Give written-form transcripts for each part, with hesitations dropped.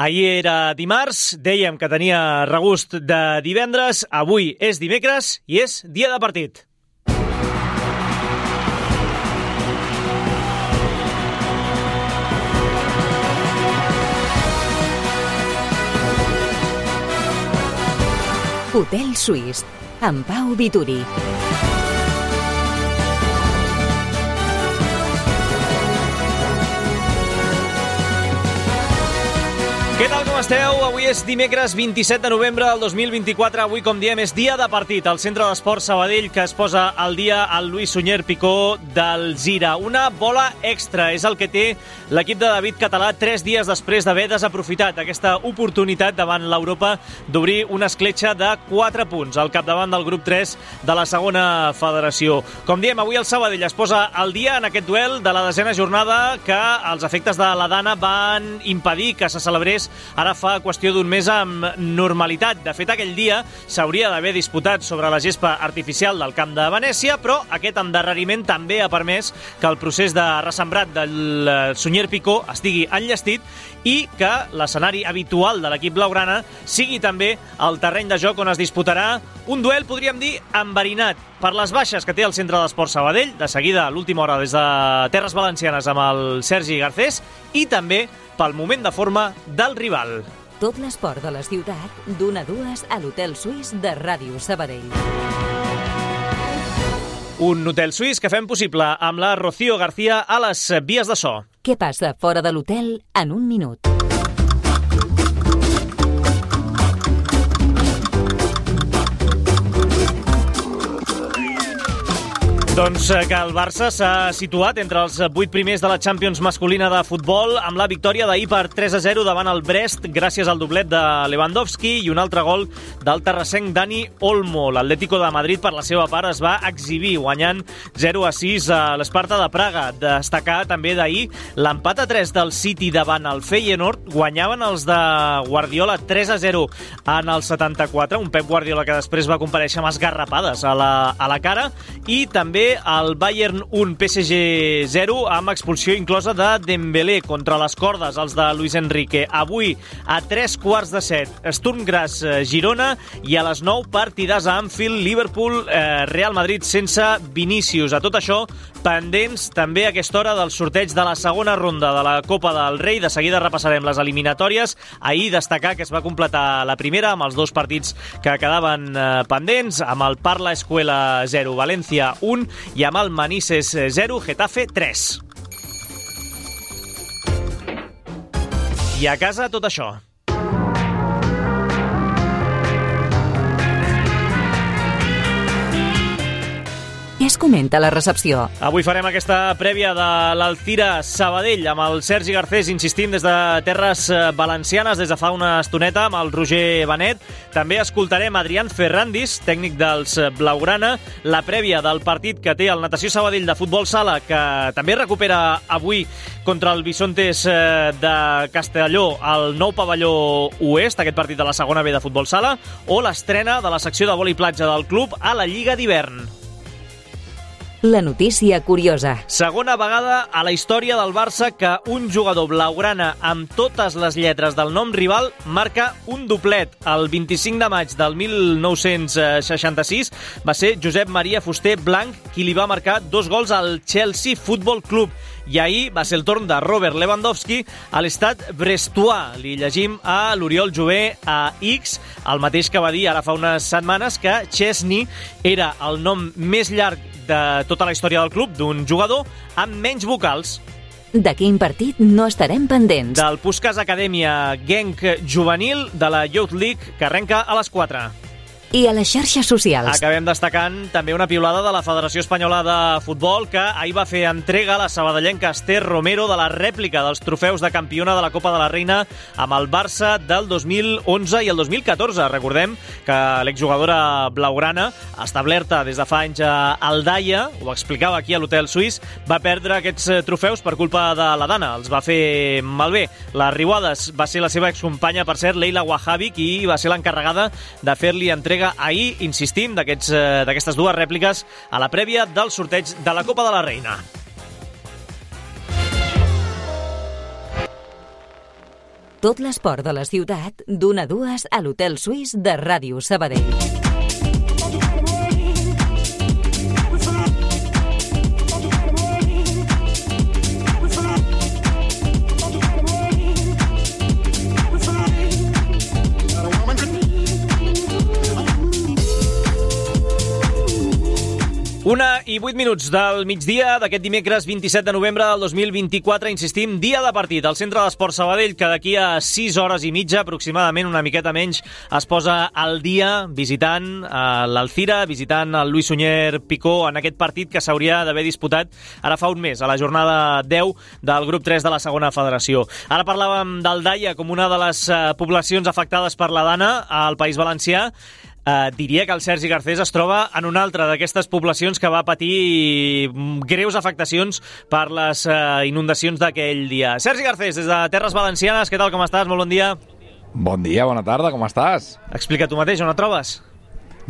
Ahir era dimarts, dèiem que tenia regust de divendres, avui és dimecres i és dia de partit. Hotel Suís, amb Pau Vituri. Què tal, com esteu? Avui és dimecres 27 de novembre del 2024. Avui, com diem, és dia de partit al Centre d'Esports Sabadell, que es posa al dia el Lluís Sunyer Picó del Zira. Una bola extra és el que té l'equip de David Català 3 dies després d'haver desaprofitat aquesta oportunitat davant l'Europa d'obrir una escletxa de 4 punts al capdavant del grup 3 de la segona federació. Com diem, avui el Sabadell es posa al dia en aquest duel de la 10a jornada que els efectes de la Dana van impedir que se celebrés ara fa qüestió d'un mes amb normalitat. De fet, aquell dia s'hauria d'haver disputat sobre la gespa artificial del camp de Venècia, però aquest endarreriment també ha permès que el procés de ressembrat del Sunyer Picó estigui enllestit i que l'escenari habitual de l'equip blaugrana sigui també el terreny de joc on es disputarà un duel, podríem dir, enverinat per les baixes que té el Centre d'Esports Sabadell, de seguida a l'última hora des de Terres Valencianes amb el Sergi Garcés, i també pel moment de forma del rival. Tot l'esport de la ciutat, d'1 a 2 a l'Hotel Suís de Ràdio Sabadell. Un hotel suís que fem possible amb la Rocío García a les vies de so. Què passa fora de l'hotel en un minut? Doncs que el Barça s'ha situat entre els 8 primers de la Champions masculina de futbol amb la victòria d'ahir per 3-0 davant el Brest gràcies al doblet de Lewandowski i un altre gol del terrassenc Dani Olmo. L'Atlético de Madrid, per la seva part, es va exhibir guanyant 0-6 a l'Esparta de Praga. Destacar també d'ahir l'empat a 3 del City davant el Feyenoord. Guanyaven els de Guardiola 3-0 en el 74, un Pep Guardiola que després va comparèixer amb esgarrapades a la cara, i també el Bayern 1, PSG 0, amb expulsió inclosa de Dembélé contra les cordes, els de Luis Enrique. Avui, a 3:15, Sturm Graz Girona, i a les 9, partidàs a Anfield, Liverpool Real Madrid sense Vinícius. A tot això, pendents també a aquesta hora del sorteig de la segona ronda de la Copa del Rei. De seguida repassarem les eliminatòries. Ahir destacar que es va completar la primera amb els 2 partits que quedaven pendents, amb el Parla Escuela 0, València 1, i amb el Manises 0, Getafe 3. I a casa tot això. Què es comenta a la recepció? Avui farem aquesta prèvia de l'Alcira Sabadell amb el Sergi Garcés, insistint des de Terres Valencianes des de fa una estoneta, amb el Roger Benet. També escoltarem Adrián Ferrandis, tècnic dels Blaugrana, la prèvia del partit que té el Natació Sabadell de futbol sala, que també recupera avui contra el Bisontes de Castelló al nou pavelló oest, aquest partit de la segona B de futbol sala, o l'estrena de la secció de vòlei platja del club a la Lliga d'hivern. La notícia curiosa. Segona vegada a la història del Barça que un jugador blaugrana amb totes les lletres del nom rival marca un doblet. El 25 de maig del 1966 va ser Josep Maria Fuster Blanc qui li va marcar 2 gols al Chelsea Football Club. I ahir va ser el torn de Robert Lewandowski a l'estat brestois. Li llegim a l'Oriol Jové a X, el mateix que va dir ara fa unes setmanes que Chesney era el nom més llarg de tota la història del club, d'un jugador amb menys vocals. De quin partit no estarem pendents? Del Puskás Acadèmia Genk Juvenil de la Youth League, que arrenca a les 4. I a les xarxes socials. Acabem destacant també una piulada de la Federació Espanyola de Futbol, que ahir va fer entrega a la sabadellenca Esther Romero de la rèplica dels trofeus de campiona de la Copa de la Reina amb el Barça del 2011 i el 2014. Recordem que l'exjugadora blaugrana, establerta des de fa anys a Aldaia, ho explicava aquí a l'Hotel Suís, va perdre aquests trofeus per culpa de la Dana. Els va fer malbé. La Riuades va ser la seva excompanya, per cert, Leila Wahabi, qui va ser l'encarregada de fer-li entrega ahir, insistim, d'aquestes 2 rèpliques a la prèvia del sorteig de la Copa de la Reina. Tot l'esport de la ciutat, d'1 a 2 a l'Hotel Suís de Ràdio Sabadell. Una i 8 minuts del migdia d'aquest dimecres 27 de novembre del 2024. Insistim, dia de partit al Centre d'Esports Sabadell, que d'aquí a 6 hores i mitja, aproximadament, una miqueta menys, es posa al dia visitant l'Alzira, visitant el Lluís Sunyer Picó en aquest partit que s'hauria d'haver disputat ara fa un mes, a la jornada 10 del grup 3 de la segona federació. Ara parlàvem d'Aldaia com una de les poblacions afectades per la dana al País Valencià. Diria que el Sergi Garcés es troba en una altra d'aquestes poblacions que va patir greus afectacions per les inundacions d'aquell dia. Sergi Garcés, des de Terres Valencianes, què tal, com estàs? Molt bon dia. Bon dia, bona tarda, com estàs? Explica tu mateix, on et trobes?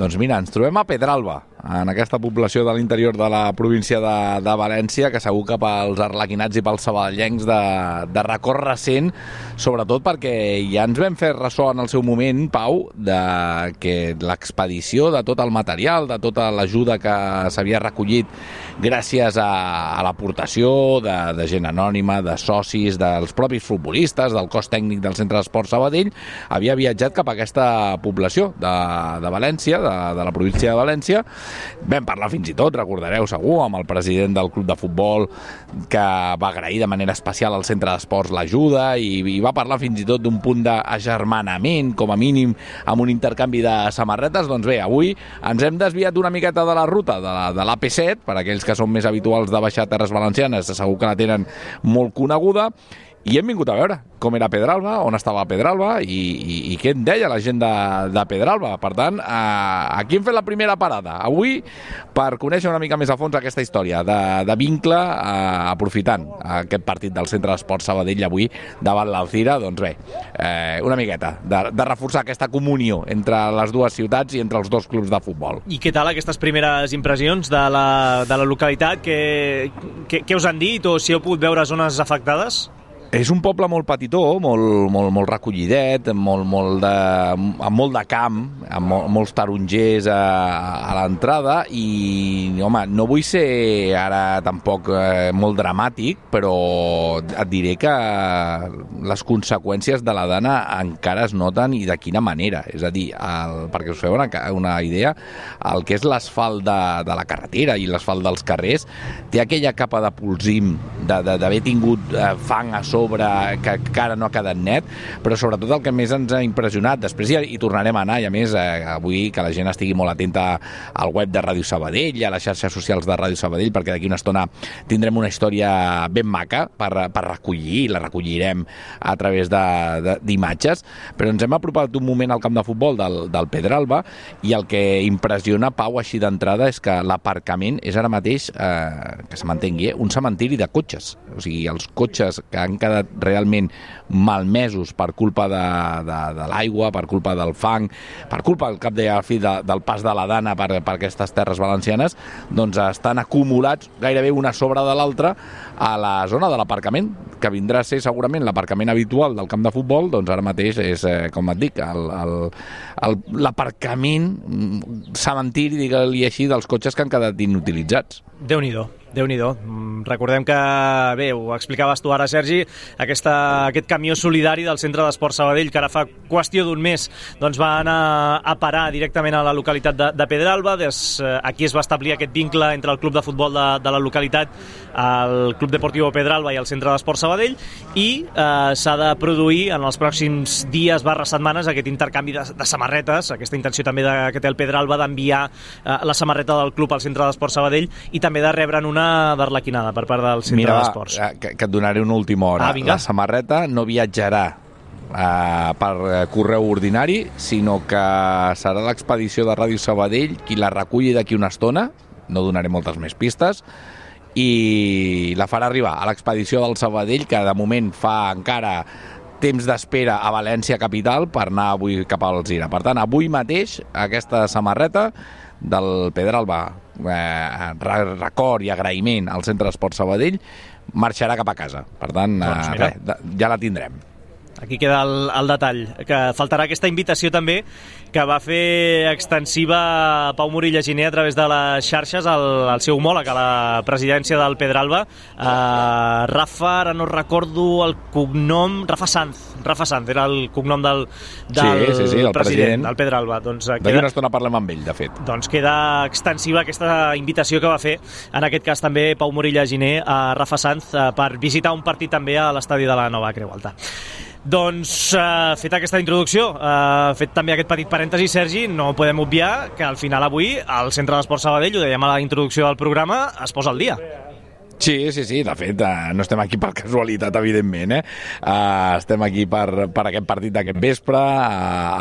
Doncs mira, ens trobem a Pedralba, en aquesta població de l'interior de la província de València, que segur que pels arlequinats i pels sabadellencs de record recent, sobretot perquè ja ens vam fer ressò en el seu moment, Pau, de que l'expedició de tot el material, de tota l'ajuda que s'havia recollit gràcies a l'aportació de gent anònima, de socis, dels propis futbolistes, del cos tècnic del Centre d'Esports Sabadell, havia viatjat cap a aquesta població de València, de la província de València. Vam parlar fins i tot, recordareu segur, amb el president del club de futbol, que va agrair de manera especial al Centre d'Esports l'ajuda i va parlar fins i tot d'un punt d'agermanament, com a mínim, amb un intercanvi de samarretes. Doncs bé, avui ens hem desviat una miqueta de la ruta de l'AP7, per aquells que són més habituals de baixar a Terres Valencianes, segur que la tenen molt coneguda, i hem vingut a veure com era Pedralba, on estava Pedralba i què en deia la gent de Pedralba. Per tant, aquí hem fet la primera parada avui per conèixer una mica més a fons aquesta història de vincle, aprofitant aquest partit del Centre d'Esports Sabadell avui davant l'Alzira. Doncs bé, una miqueta de reforçar aquesta comunió entre les dues ciutats i entre els dos clubs de futbol. I què tal aquestes primeres impressions de la localitat? Què us han dit, o si heu pogut veure zones afectades? És un poble molt petitó, molt recollidet, amb molt de camp, amb molts tarongers a l'entrada, i home, no vull ser ara tampoc molt dramàtic, però et diré que les conseqüències de la dana encara es noten, i de quina manera. És a dir, perquè us feu una idea, el que és l'asfalt de la carretera i l'asfalt dels carrers té aquella capa de polsim d'haver tingut fang a sobre, que encara no ha quedat net, però sobretot el que més ens ha impressionat, després hi tornarem a anar, i a més avui que la gent estigui molt atenta al web de Ràdio Sabadell i a les xarxes socials de Ràdio Sabadell, perquè d'aquí una estona tindrem una història ben maca per recollir, i la recollirem a través d'imatges, però ens hem apropat un moment al camp de futbol del Pedralba, i el que impressiona, Pau, així d'entrada, és que l'aparcament és ara mateix, que se m'entengui, un cementiri de cotxes. O sigui, els cotxes que han quedat realment malmesos per culpa de l'aigua, per culpa del fang, per culpa, al cap de fi, del pas de la dana per aquestes terres valencianes, doncs estan acumulats gairebé una sobre de l'altra a la zona de l'aparcament, que vindrà a ser segurament l'aparcament habitual del camp de futbol. Doncs ara mateix és, com et dic, l'aparcament cementiri, digue-li així, dels cotxes que han quedat inutilitzats. Déu-n'hi-do. Recordem que, bé, ho explicaves tu ara, Sergi, aquest camió solidari del Centre d'Esports Sabadell, que ara fa qüestió d'un mes doncs va anar a parar directament a la localitat de Pedralba. Aquí es va establir aquest vincle entre el club de futbol de la localitat, el Club Deportiu Pedralba, i el Centre d'Esports Sabadell, i s'ha de produir en els pròxims dies /setmanes aquest intercanvi de samarretes, aquesta intenció també que té el Pedralba d'enviar la samarreta del club al Centre d'Esports Sabadell, i també de rebre'n una d'arlequinada per part del Centre d'Esports. Mira, que et donaré una última hora. La samarreta no viatjarà per correu ordinari, sinó que serà l'expedició de Ràdio Sabadell qui la reculli d'aquí una estona, no donaré moltes més pistes, i la farà arribar a l'expedició del Sabadell, que de moment fa encara temps d'espera a València capital per anar avui cap a Alzira. Per tant, avui mateix aquesta samarreta del Pedralba, record i agraïment al Centre d'Esports Sabadell, marxarà cap a casa. Per tant, ja la tindrem. Aquí queda el detall, que faltarà aquesta invitació també que va fer extensiva Pau Morilla Giner a través de les xarxes al seu homòleg a la presidència del Pedralba, Rafa, ara no recordo el cognom, Rafa Sanz era el cognom del el president del Pedralba. D'aquí una estona parlem amb ell, de fet. Doncs queda extensiva aquesta invitació que va fer, en aquest cas també Pau Morilla Giner, a Rafa Sanz per visitar un partit també a l'estadi de la Nova Creu Alta. Doncs, feta aquesta introducció, fet també aquest petit parèntesi, Sergi, no podem obviar que al final avui el Centre d'Esports Sabadell, ho dèiem a la introducció del programa, es posa al dia. Sí, de fet, no estem aquí per casualitat, evidentment, estem aquí per aquest partit d'aquest vespre,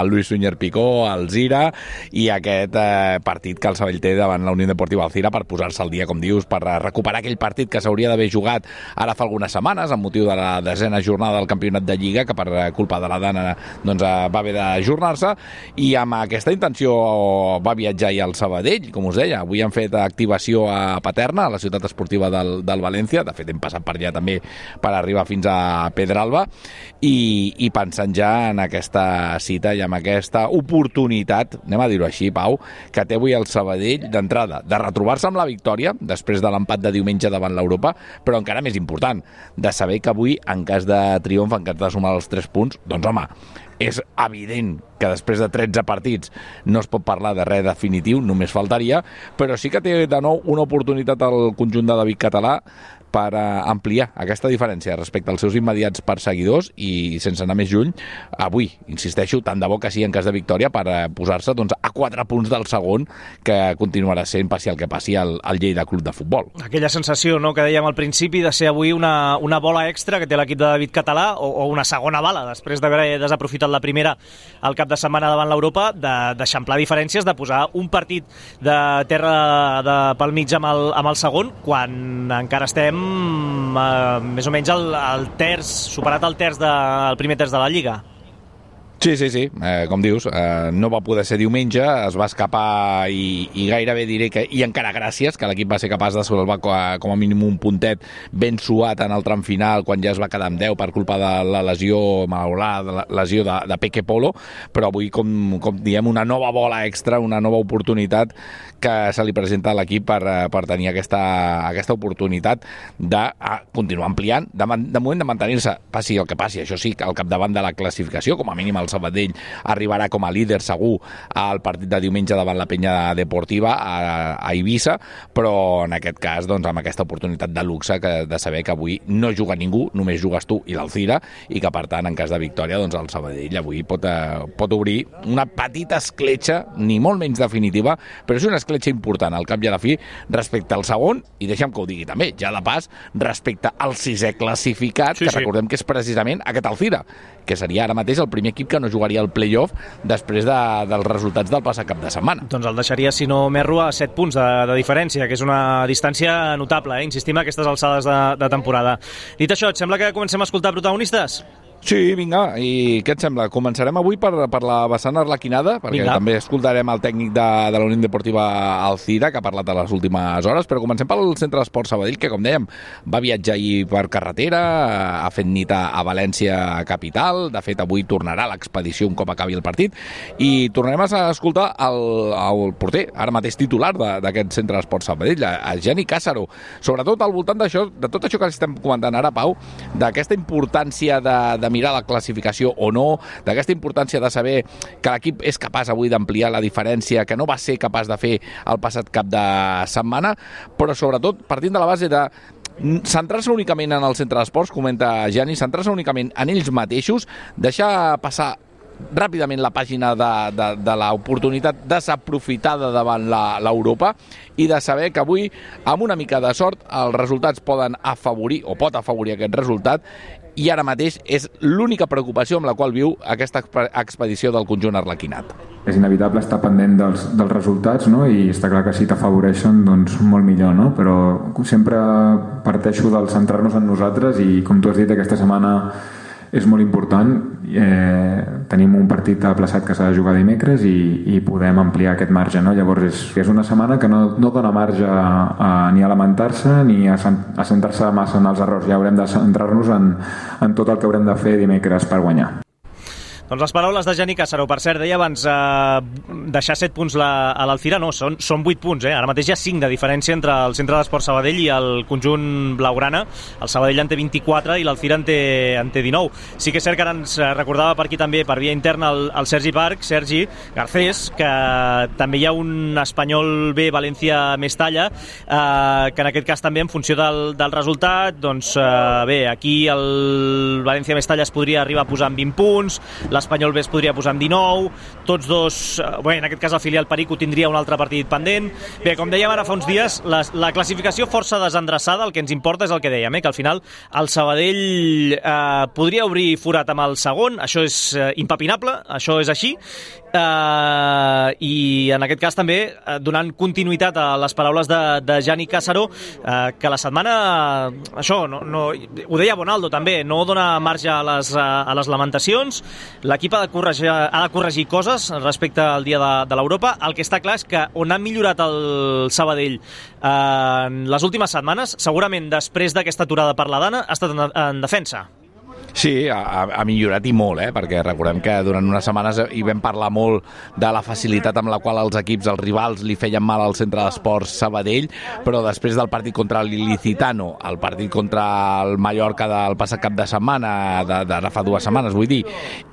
el Luis Suñer Picó, el Zira, i aquest partit que el Sabadell té davant la Unió Deportiva Alzira per posar-se al dia, com dius, per recuperar aquell partit que s'hauria d'haver jugat ara fa algunes setmanes, amb motiu de la 10ª jornada del Campionat de Lliga, que per culpa de la Dana doncs, va haver d'ajornar-se, i amb aquesta intenció va viatjar ahir al Sabadell, com us deia. Avui han fet activació a Paterna, a la ciutat esportiva del València, de fet hem passat per allà també per arribar fins a Pedralba, i pensant ja en aquesta cita i en aquesta oportunitat, anem a dir-ho així, Pau, que té avui el Sabadell d'entrada, de retrobar-se amb la victòria després de l'empat de diumenge davant l'Europa, però encara més important, de saber que avui, en cas de triomf, en cas de sumar els 3 punts, doncs home, és evident que després de 13 partits no es pot parlar de res definitiu, només faltaria, però sí que té de nou una oportunitat al conjunt de David Català per ampliar aquesta diferència respecte als seus immediats perseguidors i, sense anar més lluny, avui, insisteixo, tant de bo que sí en cas de victòria, per posar-se doncs, a 4 punts del segon, que continuarà sent, passi el que passi, el Lleida Club de Futbol. Aquella sensació, no?, que dèiem al principi, de ser avui una bola extra que té l'equip de David Català, o una segona bala, després d'haver desaprofitat la primera al cap de setmana davant l'Europa, d'eixamplar diferències, de posar un partit de terra pel mig amb el segon, quan encara estem més o menys el terç, superat el primer terç de la Lliga. Sí, com dius, no va poder ser diumenge, es va escapar i gairebé diré que, i encara gràcies, que l'equip va ser capaç de salvar com a mínim un puntet ben suat en el tram final, quan ja es va quedar amb 10 per culpa de la lesió malaurada, la lesió de Peque Polo, però avui, com diem, una nova bola extra, una nova oportunitat que se li presenta a l'equip per tenir aquesta oportunitat de continuar ampliant, de moment de mantenir-se, passi el que passi, això sí, al capdavant de la classificació, com a mínim el Sabadell arribarà com a líder segur al partit de diumenge davant la Penya Deportiva a Eivissa, però en aquest cas doncs, amb aquesta oportunitat de luxe de saber que avui no juga ningú, només jugues tu i l'Alzira, i que per tant en cas de victòria doncs, el Sabadell avui pot obrir una petita escletxa, ni molt menys definitiva, però és una escletxa important al cap i a la fi respecte al segon, i deixa'm que ho digui també, ja de pas, respecte al 6è classificat, que recordem que és precisament aquest Alzira, que seria ara mateix el primer equip que no jugaria el play-off després dels resultats del passat cap de setmana. Doncs el deixaria, si no m'erro, a 7 punts de diferència, que és una distància notable, insistim, a aquestes alçades de temporada. Dit això, et sembla que comencem a escoltar protagonistes? Sí, vinga, i què et sembla? Començarem avui per la vessant arlequinada, perquè també escoltarem el tècnic de la Unió Deportiva Alzira, que ha parlat a les últimes hores, però comencem pel Centre d'Esports Sabadell, que, com dèiem, va viatjar ahir per carretera, ha fet nit a València capital, de fet avui tornarà a l'expedició un cop acabi el partit, i tornarem a escoltar el porter, ara mateix titular d'aquest Centre d'Esports Sabadell, el Geni Càssaro, sobretot al voltant d'això, de tot això que estem comentant ara, Pau, d'aquesta importància de mirar la classificació o no, d'aquesta importància de saber que l'equip és capaç avui d'ampliar la diferència que no va ser capaç de fer el passat cap de setmana, però sobretot partint de la base de centrar-se únicament en el centre d'esports, comenta Gianni, centrar-se únicament en ells mateixos, deixar passar ràpidament la pàgina de l'oportunitat desaprofitada davant l'Europa, i de saber que avui, amb una mica de sort, els resultats poden afavorir, o pot afavorir aquest resultat, i ara mateix és l'única preocupació amb la qual viu aquesta expedició del conjunt arlequinat. És inevitable estar pendent dels resultats, no? I està clar que si t'afavoreixen, doncs molt millor, no? Però sempre parteixo del centrar-nos en nosaltres, i com tu has dit, aquesta setmana és molt important. Tenim un partit aplaçat que s'ha de jugar dimecres i podem ampliar aquest marge, no? Llavors és una setmana que no dona marge ni a lamentar-se ni a centrar-se massa en els errors. Ja haurem de centrar-nos en tot el que haurem de fer dimecres per guanyar. Doncs les paraules de Gianni Cassaró. Per cert, deia abans deixar 7 punts a l'Alcira, no, són 8 punts, Ara mateix hi ha 5 de diferència entre el Centre d'Esports Sabadell i el conjunt blaugrana. El Sabadell en té 24 i l'Alcira en té 19. Sí que és cert que ara ens recordava per aquí també, per via interna, el Sergi Parc, Sergi Garcés, que també hi ha un Espanyol B, València Mestalla, que en aquest cas també en funció del resultat, doncs bé, aquí el València Mestalla es podria arribar a posar en 20 punts, l'Espanyol B es podria posar amb 19, tots dos, bé, en aquest cas el filial Perico tindria un altre partit pendent. Bé, com dèiem ara fa uns dies, la classificació força desendreçada, el que ens importa és el que dèiem, que al final el Sabadell podria obrir forat amb el segon, això és impepinable, això és així, i en aquest cas també donant continuïtat a les paraules de Gianni Cassaró, que la setmana, això, ho deia Bonaldo també, no dona marge a les lamentacions. L'equip ha de corregir coses respecte al dia de l'Europa. El que està clar és que on ha millorat el Sabadell en les últimes setmanes, segurament després d'aquesta aturada per la Dana, ha estat en defensa. Sí, ha millorat i molt, perquè recordem que durant unes setmanes hi vam parlar molt de la facilitat amb la qual els equips, els rivals, li feien mal al Centre d'Esports Sabadell, però després del partit contra l'Ilicitano, el partit contra el Mallorca del passat cap de setmana, d'ara fa 2 setmanes, vull dir,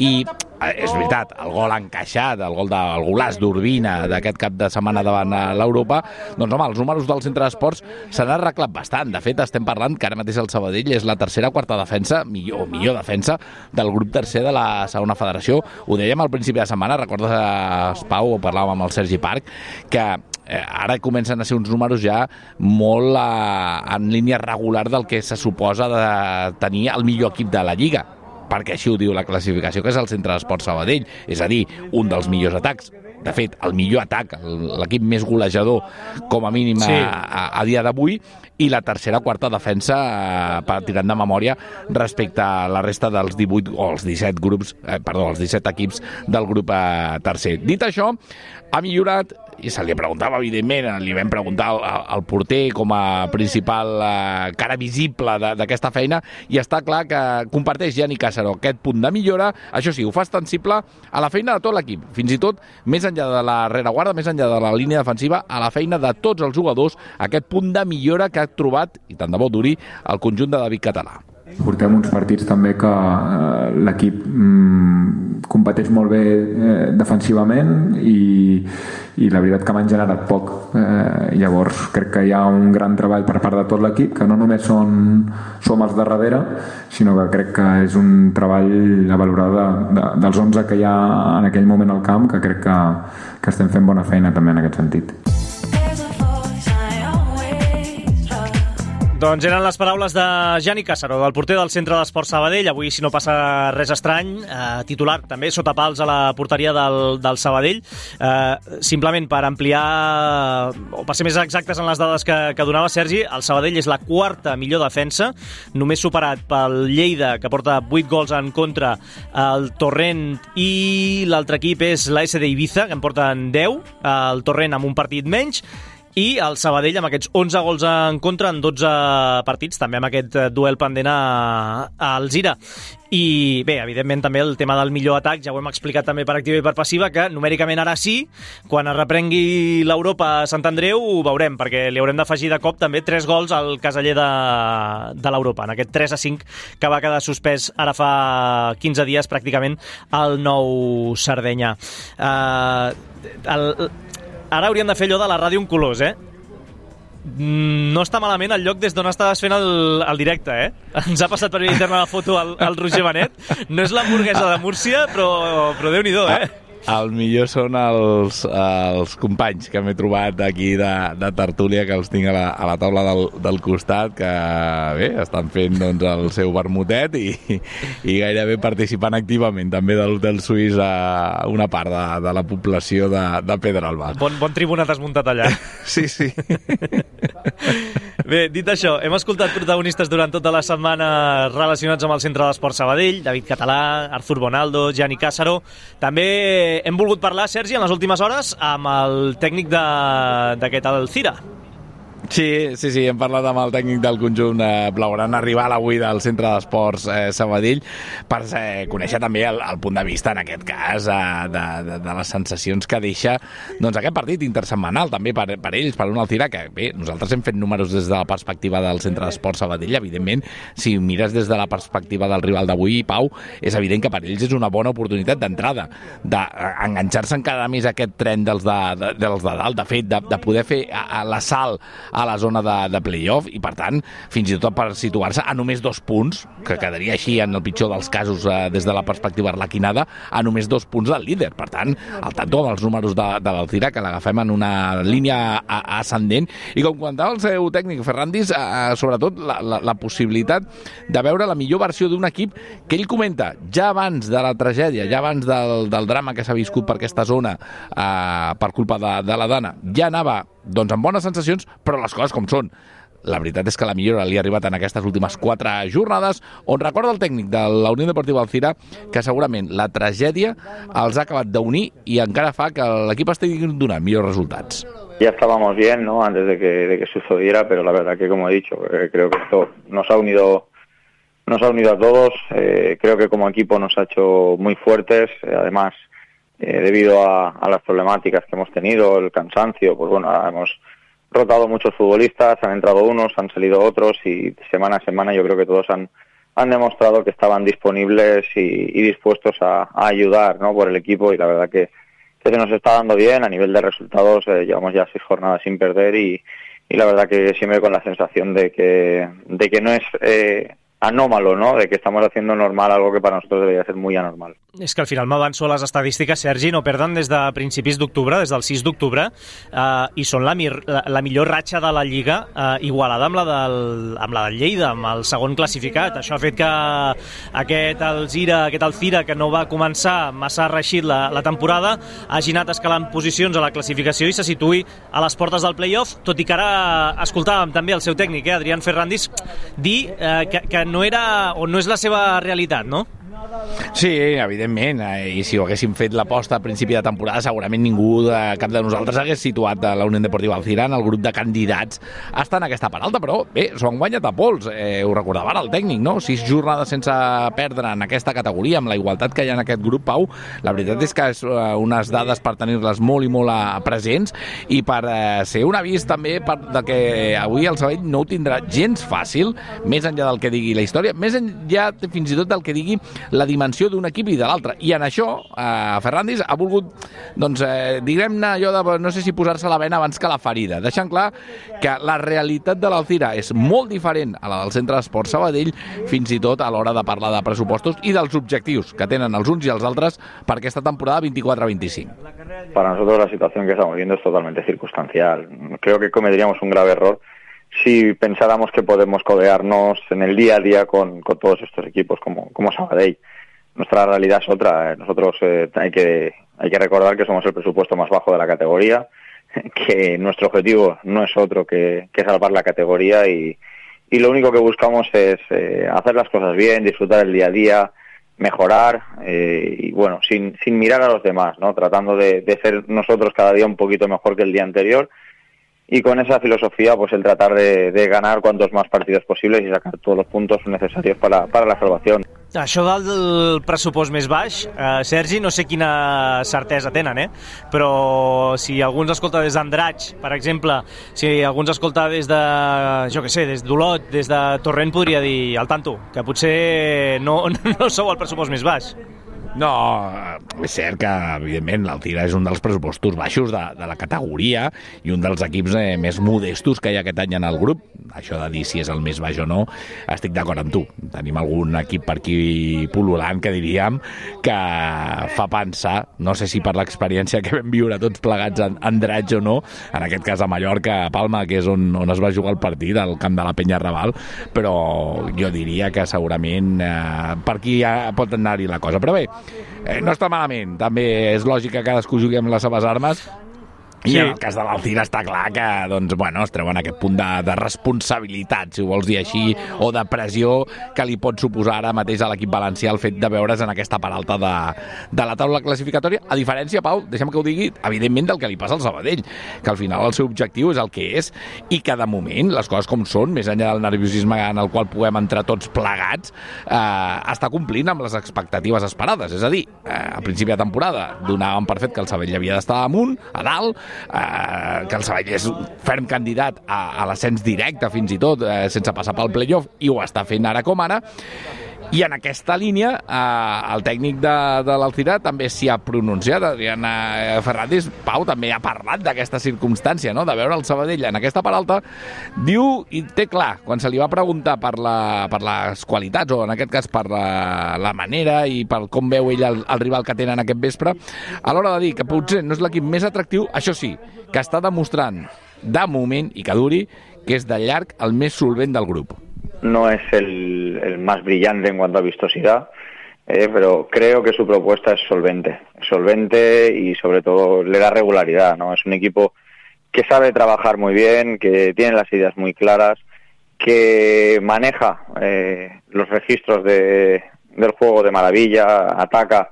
i és veritat, el gol encaixat, el golaç d'Urbina d'aquest cap de setmana davant l'Europa, doncs home, els números del Centre d'Esports s'han arreglat bastant. De fet, estem parlant que ara mateix el Sabadell és la tercera o quarta defensa, millor defensa del grup tercer de la segona federació. Ho dèiem al principi de setmana, recordes, Pau, ho parlàvem amb el Sergi Parc, que ara comencen a ser uns números ja molt en línia regular del que se suposa de tenir el millor equip de la Lliga, perquè així ho diu la classificació, que és el Centre d'Esports Sabadell, és a dir, un dels millors atacs. De fet, el millor atac, l'equip més golejador, com a mínim a dia d'avui, i la tercera o quarta defensa, tirant de memòria, respecte a la resta dels 18 o els 17 equips del grup tercer. Dit això, ha millorat, i se li preguntava, evidentment, li vam preguntar al porter com a principal cara visible d'aquesta feina, i està clar que comparteix Gianni Cassaró aquest punt de millora. Això sí, ho fa extensible a la feina de tot l'equip, fins i tot més enllà de la rereguarda, més enllà de la línia defensiva, a la feina de tots els jugadors, aquest punt de millora que ha trobat, i tant de bo duri, el conjunt de David Català. Portem uns partits també que l'equip competeix molt bé defensivament i la veritat que m'han generat poc. Llavors crec que hi ha un gran treball per part de tot l'equip, que no només som els de darrere, sinó que crec que és un treball a valorar dels 11 que hi ha en aquell moment al camp, que crec que estem fent bona feina també en aquest sentit. Doncs eren les paraules de Gianni Cassaró, del porter del Centre d'Esports Sabadell. Avui, si no passa res estrany, titular també sota pals a la porteria del Sabadell. Simplement per ampliar, o per ser més exactes en les dades que donava Sergi, el Sabadell és la quarta millor defensa, només superat pel Lleida, que porta 8 gols en contra, el Torrent, i l'altre equip és la SD Ibiza, que en porten 10, el Torrent amb un partit menys, i el Sabadell amb aquests 11 gols en contra en 12 partits, també amb aquest duel pendent a Alzira. I bé, evidentment també el tema del millor atac, ja ho hem explicat també per activa i per passiva, que numèricament ara sí, quan es reprengui l'Europa a Sant Andreu ho veurem, perquè li haurem d'afegir de cop també 3 gols al caseller de l'Europa, en aquest 3-5 que va quedar suspès ara fa 15 dies pràcticament al Nou Sardenya. Ara hauríem de fer allò de la ràdio en colors, No està malament el lloc des d'on estaves fent el directe, Ens ha passat per via interna la foto al Roger Benet. No és l'hamburguesa de Múrcia, però Déu-n'hi-do, El millor són els companys que m'he trobat aquí de tertúlia, que els tinc a la taula del costat, que bé, estan fent doncs, el seu vermutet i gairebé participant activament també de l'Hotel Suís a una part de la població de Pedralba. Bon tribuna t'has muntat allà. Sí. Bé, dit això, hem escoltat protagonistes durant tota la setmana relacionats amb el Centre d'Esport Sabadell, David Català, Artur Bonaldo, Gianni Càssaro. També hem volgut parlar, Sergi, en les últimes hores amb el tècnic d'aquest Alzira. Sí, hem parlat amb el tècnic del conjunt blaugrana rival avui del Centre d'Esports Sabadell per conèixer també el punt de vista, en aquest cas, de les sensacions que deixa doncs, aquest partit intersetmanal, també per ells, per un Alzira, que bé, nosaltres hem fet números des de la perspectiva del Centre d'Esports Sabadell. Evidentment, si mires des de la perspectiva del rival d'avui, Pau, és evident que per ells és una bona oportunitat d'entrada, d'enganxar-se encara més a aquest tren dels de dalt, de fet, de poder fer l'assalt a la zona de play-off i, per tant, fins i tot per situar-se a només 2 punts, que quedaria així en el pitjor dels casos des de la perspectiva arlequinada, a només 2 punts del líder. Per tant, al tanto amb els números de l'Alzira, que l'agafem en una línia ascendent, i com comentava el seu tècnic Ferrandis, sobretot la possibilitat de veure la millor versió d'un equip que ell comenta, ja abans de la tragèdia, ja abans del drama que s'ha viscut per aquesta zona per culpa de la Dana, ja anava doncs amb bones sensacions, però les coses com són. La veritat és que la millora li ha arribat en aquestes últimes 4 jornades, on recorda el tècnic de la Unió Deportiva Alzira que segurament la tragèdia els ha acabat d'unir i encara fa que l'equip estigui donant millors resultats. Ya estábamos bien, ¿no?, antes de que sucediera, pero la verdad que, como he dicho, creo que esto nos ha unido a todos. Creo que como equipo nos ha hecho muy fuertes, además, debido a las problemáticas que hemos tenido, el cansancio, pues bueno, hemos rotado muchos futbolistas, han entrado unos, han salido otros, y semana a semana yo creo que todos han demostrado que estaban disponibles y dispuestos a ayudar, ¿no?, por el equipo, y la verdad que se nos está dando bien. A nivel de resultados, llevamos ya 6 jornadas sin perder, y la verdad que siempre con la sensación de que no es anòmalo, no?, de que estamos haciendo normal algo que para nosotros debería ser muy anormal. És que al final m'avanço a les estadístiques, Sergi, no perden des de principis d'octubre, des del 6 d'octubre, i són la millor ratxa de la Lliga, igualada amb la del Lleida, amb el segon classificat. Això ha fet que aquest Alzira, que no va començar massa reeixit la temporada, hagi anat escalant posicions a la classificació i se situï a les portes del play-off, tot i que ara escoltàvem també el seu tècnic, Adrián Ferrandis, dir que no era o no és la seva realitat, no? Sí, evidentment, i si ho haguéssim fet l'aposta a principi de temporada, segurament ningú cap de nosaltres hagués situat la Unió Deportiva Alzira en el grup de candidats a estar en aquesta part alta, però bé, s'ho han guanyat a pols, ho recordava ara el tècnic, no? 6 jornades sense perdre en aquesta categoria, amb la igualtat que hi ha en aquest grup, Pau. La veritat és que és unes dades per tenir-les molt i molt presents, i per ser un avís també de que avui el Sabadell no ho tindrà gens fàcil, més enllà del que digui la història, més enllà fins i tot del que digui la dimensió d'un equip i de l'altre. I en això, Ferrandis ha volgut, doncs, diguem-ne allò de, no sé si posar-se la vena abans que la ferida, deixant clar que la realitat de l'Alzira és molt diferent a la del Centre d'Esport Sabadell, fins i tot a l'hora de parlar de pressupostos i dels objectius que tenen els uns i els altres per aquesta temporada 24-25. Para nosotros la situación que estamos viendo es totalmente circunstancial. Creo que cometeríamos un grave error si pensáramos que podemos codearnos en el día a día con todos estos equipos como Sabadell. Nuestra realidad es otra. Nosotros hay que recordar que somos el presupuesto más bajo de la categoría, que nuestro objetivo no es otro que salvar la categoría, y lo único que buscamos es hacer las cosas bien, disfrutar el día a día, mejorar, y bueno, sin mirar a los demás, ¿no?, tratando de ser nosotros cada día un poquito mejor que el día anterior. Y con esa filosofía, pues el tratar de ganar cuantos más partidos posibles y sacar todos los puntos necesarios para la salvación. Això del pressupost més baix, Sergi, no sé quina certesa tenen, però si algú ens escolta des d'Andratx, per exemple, si algú ens escolta des de, jo què sé, des d'Olot, des de Torrent, podria dir, al tanto, que potser no sou el pressupost més baix. No, és cert que, evidentment, l'Alzira és un dels pressupostos baixos de la categoria i un dels equips més modestos que hi ha aquest any en el grup. Això de dir si és el més baix o no, estic d'acord amb tu. Tenim algun equip per aquí pul·lulant que diríem que fa pensar, no sé si per l'experiència que vam viure tots plegats en Andratx o no, en aquest cas a Mallorca, a Palma, que és on es va jugar el partit, al camp de la Penya Raval, però jo diria que segurament per aquí pot anar-hi la cosa. Però bé, no està malament, també és lògic que cadascú jugui amb les seves armes. I en el cas de l'Alzira està clar que doncs, bueno, es treuen aquest punt de responsabilitat, si ho vols dir així, o de pressió que li pot suposar ara mateix a l'equip valencià el fet de veure's en aquesta part alta de la taula classificatòria, a diferència, Pau, deixa'm que ho digui, evidentment del que li passa al Sabadell, que al final el seu objectiu és el que és i que de moment, les coses com són, més enllà del nerviosisme en el qual puguem entrar tots plegats, està complint amb les expectatives esperades, és a dir, a principi de temporada donàvem per fet que el Sabadell havia d'estar amunt, a dalt, que el Sabadell és un ferm candidat a l'ascens directe fins i tot, sense passar pel playoff, i ho està fent ara com ara. I en aquesta línia el tècnic de l'Alzira també s'hi ha pronunciat. Adrián Fernández, Pau, també ha parlat d'aquesta circumstància, no? De veure el Sabadell en aquesta part alta. Diu, i té clar, quan se li va preguntar per les qualitats, o en aquest cas per la manera i per com veu ell el rival que tenen aquest vespre, a l'hora de dir que potser no és l'equip més atractiu, això sí, que està demostrant de moment, i que duri, que és de llarg el més solvent del grup. No es el más brillante en cuanto a vistosidad, pero creo que su propuesta es solvente y sobre todo le da regularidad, ¿no? Es un equipo que sabe trabajar muy bien, que tiene las ideas muy claras, que maneja los registros del juego de maravilla, ataca